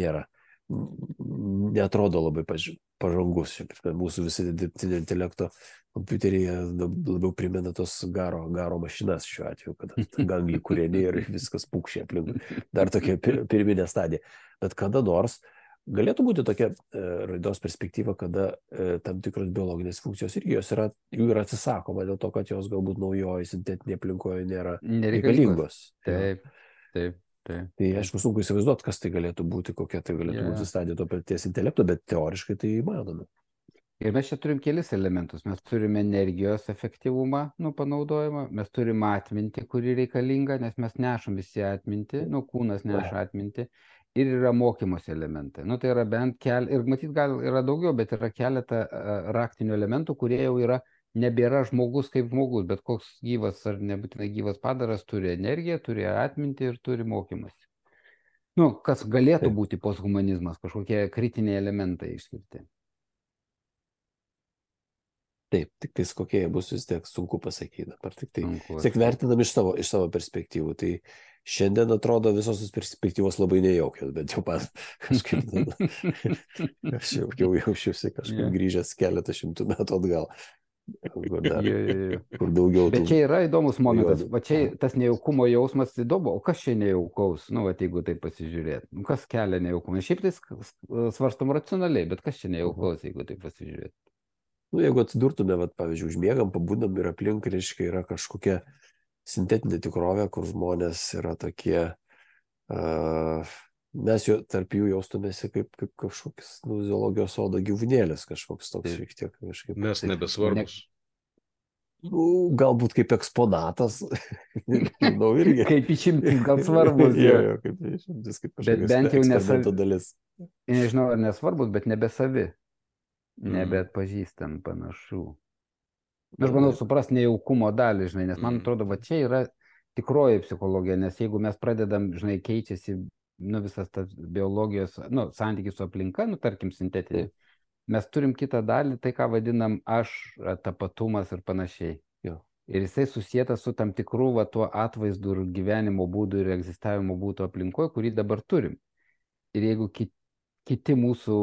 neatrodo labai pažangus. Mūsų visi dirbtinio intelekto kompiuteryje labiau primena tos garo mašinas šiuo atveju, kad ganglį kūreni ir viskas pūkšė aplink. Dar tokia pirminė stadija. Bet kada nors galėtų būti tokia raidos perspektyva, kada tam tikros biologinės funkcijos irgi jų yra atsisakoma dėl to, kad jos galbūt naujoji sintetinė aplinkoje nėra reikalingos. Taip. Tai aišku, sunku įsivaizduoti, kas tai galėtų būti, kokia tai galėtų būti stadija to paties intelekto, bet teoriškai tai įmanoma. Ir mes čia turim kelis elementus. Mes turime energijos efektyvumą, panaudojimą, mes turim atmintį, kuri reikalinga, nes mes nešam visi atmintį, kūnas neša atmintį. Ir yra mokymosi elementai. Tai yra bent ir matyt, gal yra daugiau, bet yra keletą raktinių elementų, kurie jau nebėra žmogus kaip žmogus, bet koks gyvas ar nebūtinai gyvas padaras turi energiją, turi atmintį ir turi mokymasi. Kas galėtų būti posthumanizmas, kažkokie kritiniai elementai išskirti. Taip, tik tais kokie bus vis tiek sunku pasakyti. Tik vertinam iš savo perspektyvų. Tai šiandien atrodo visos perspektyvos labai nejaukios, bet jau man kažkaip aš jau jaučiuosi kažkaip grįžęs keletą šimtų metų atgal. Kur daugiau. Bet čia yra įdomus momentas. Va čia tas nejaukumo jausmas įdomu. O kas čia nejaukaus? Jeigu tai pasižiūrėt. Kas kelia nejaukumą? Šiaip tai svarstom racionaliai, bet kas čia nejaukaus, jeigu tai pasižiūrėt? Jeigu atsidurtume, pavyzdžiui, užmiegam, pabudam ir aplink, reiškia, yra kažkokia sintetinė tikrovė, kur žmonės yra tokie, mes tarp jų jaustumėsi kaip kažkoks zoologijos sodo gyvūnėlis, kažkoks toks šiek tiek kažkaip. Mes nebesvarbus. Galbūt kaip eksponatas, irgi. Kaip išimtis gal svarbus. Kaip išimtis, kaip kažkokios eksperimento dalis. Nežinau, ar nesvarbus, bet nebesavi. Nebeatpažįstam panašų. Aš manau suprasti nejaukumo dalį, nes man atrodo, čia yra tikroji psichologija, nes jeigu mes pradedam, keičiasi visas tas biologijos, santykis su aplinka, tarkim sintetinė, mes turim kitą dalį, tai ką vadinam aš, tapatumas ir panašiai. Ir jisai susietas su tam tikru tuo atvaizdu ir gyvenimo būdu ir egzistavimo būdu aplinkoje, kurį dabar turim. Ir jeigu kiti mūsų,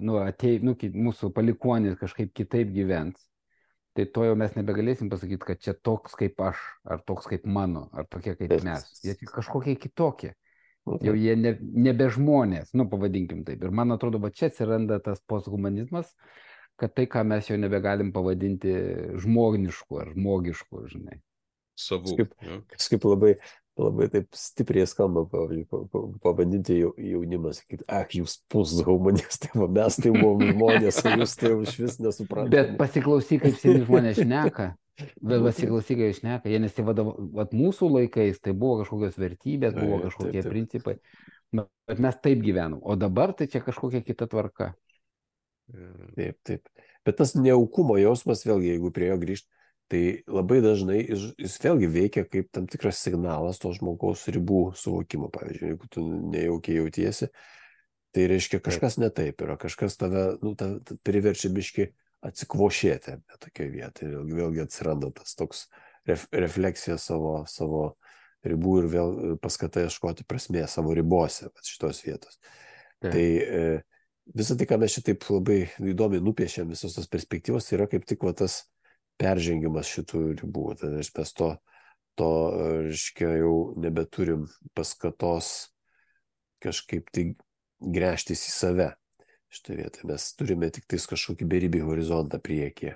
mūsų palikuonys kažkaip kitaip gyvens, tai to jau mes nebegalėsim pasakyti, kad čia toks kaip aš, ar toks kaip mano, ar tokie kaip mes. Jie kažkokie kitokie. Jau jie nebe žmonės, pavadinkim taip. Ir man atrodo, čia atsiranda tas posthumanizmas, kad tai, ką mes jau nebegalim pavadinti žmonišku ar žmogišku, Savų. Kažkaip labai taip stipriai skamba pavadinti jaunimą, sakyti, jūs posthumanistai, mes tai buvom žmonės, o jūs tai iš vis nesuprantate. Bet pasiklausyk, kaip seni žmonės šneka. Jie nesivadavo, mūsų laikais tai buvo kažkokios vertybės, buvo kažkokie principai, bet mes taip gyvenom, o dabar tai čia kažkokia kita tvarka. Taip. Bet tas nejaukumo jausmas, vėlgi, jeigu prie jo grįžt, tai labai dažnai jis vėlgi veikia kaip tam tikras signalas to žmogaus ribų suvokimo. Pavyzdžiui, jeigu tu nejaukiai jautiesi, tai reiškia kažkas ne taip yra, kažkas tave priverčia biškį atsikvošėti tokioje vietoje. Vėlgi atsiranda tas toks refleksija savo ribų ir vėl paskata ieškoti prasmės savo ribose šitos vietos. Tai visą tai, ką mes šitaip labai įdomiai nupiešėm, visos tos perspektyvos, yra kaip tik tas peržengimas šitų ribų. Tai mes to reiškia, jau nebeturim paskatos kažkaip tai gręžtis į save. Šitą vietą mes turime tik tais kažkokį beribį horizontą priekyje.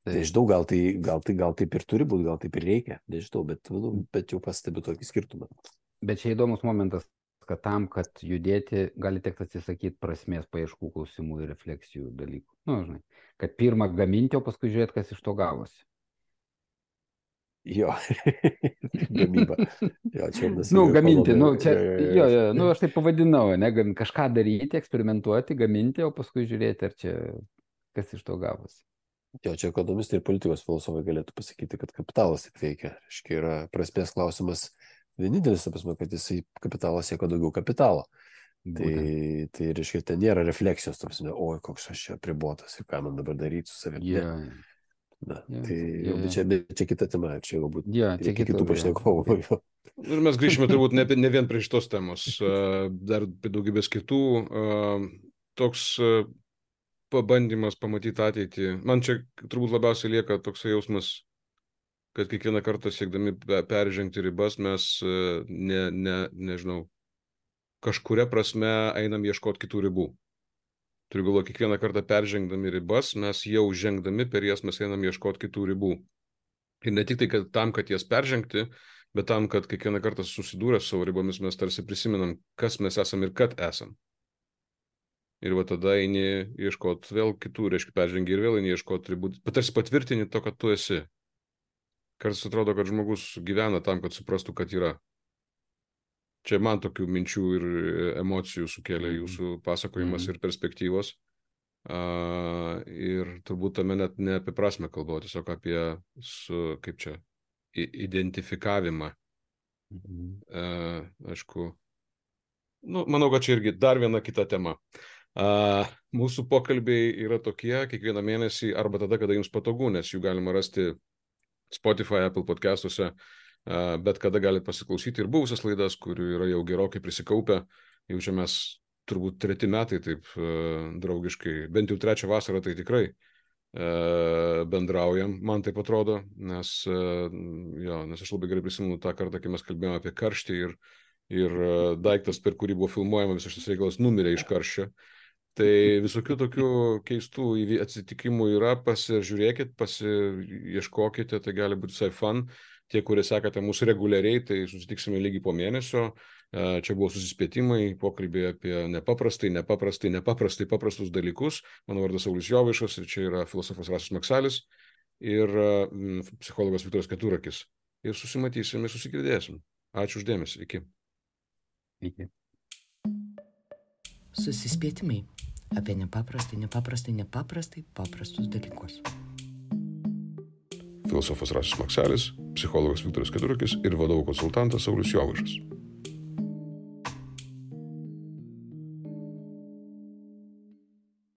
Nežinau, gal taip ir turi būti, gal taip ir reikia, nežinau, bet jau pastebiu tokį skirtumą. Bet čia įdomus momentas, kad tam, kad judėti, gali tekti atsisakyti prasmės paieškų klausimų ir refleksijų dalykų. Kad pirmą gaminti, o paskui žiūrėti, kas iš to gavosi. Jo, gamyba. Gaminti, aš taip pavadinau, kažką daryti, eksperimentuoti, gaminti, o paskui žiūrėti, ar čia kas iš to gavosi. Jo, čia ekonomistai ir politikos filosofai galėtų pasakyti, kad kapitalas taip veikia. Reiškia, yra prasmės klausimas vienintelis, kad jisai kapitalas siekia daugiau kapitalo. Tai reiškia, ten nėra refleksijos, oi, koks aš čia apribotas ir ką man dabar daryti su savimi. Čia kita tema, čia galbūt kitų pašnekovų. Ir mes grįžime turbūt ne vien prie šitos temos, dar daugybės kitų. Toks pabandymas pamatyti ateitį. Man čia turbūt labiausiai lieka toks jausmas, kad kiekvieną kartą siekdami peržengti ribas mes nežinau, kažkuria prasme einam ieškoti kitų ribų. Turiu galvo, kiekvieną kartą peržengdami ribas, mes jau žengdami per jas mes einam ieškoti kitų ribų. Ir ne tik tai kad tam, kad jas peržengti, bet tam, kad kiekvieną kartą susidūrę su savo ribomis mes tarsi prisimenam, kas mes esam ir kad esam. Ir va tada eini ieškoti vėl kitų, reiškia peržengi ir vėl eini ieškoti ribų, tarsi patvirtini to, kad tu esi. Kartais atrodo, kad žmogus gyvena tam, kad suprastų, kad yra. Čia man tokių minčių ir emocijų sukėlė jūsų pasakojimas ir perspektyvos. Ir turbūt tame net ne apie prasme kalbu, tiesiog apie identifikavimą. Aišku, manau, kad čia irgi dar viena kita tema. Mūsų pokalbiai yra tokie kiekvieną mėnesį arba tada, kada jums patogu, nes jų galima rasti Spotify, Apple podcastuose, bet kada galite pasiklausyti ir buvusias laidas, kurių yra jau gerokai prisikaupę. Jau čia mes turbūt 3 metai taip draugiškai, bent jau 3 vasarą tai tikrai bendraujam, man taip atrodo, nes aš labai gerai prisimenu tą kartą, kai mes kalbėjome apie karštį ir daiktas, per kurį buvo filmuojama visas šis reikalas, numirė iš karščio. Tai visokių tokių keistų atsitikimų yra, pasižiūrėkit, pasiieškokite, tai gali būti visai fun. Tie, kurie sekate mūsų reguliariai, tai susitiksime lygiai po mėnesio. Čia buvo susispėtimai, pokalbiai apie paprastus dalykus. Mano vardas Saulius Jovaišas ir čia yra filosofas Rasius Maksalis ir psichologas Viktoras Keturakis. Ir susimatysim ir susigirdėsim. Ačiū uždėmesi. Iki. Iki. Susispėtimai apie nepaprastai paprastus dalykus. Filosofas Rasius Maksalis, psichologas Viktoras Keturakis ir vadovų konsultantas Saulius Jovaišas.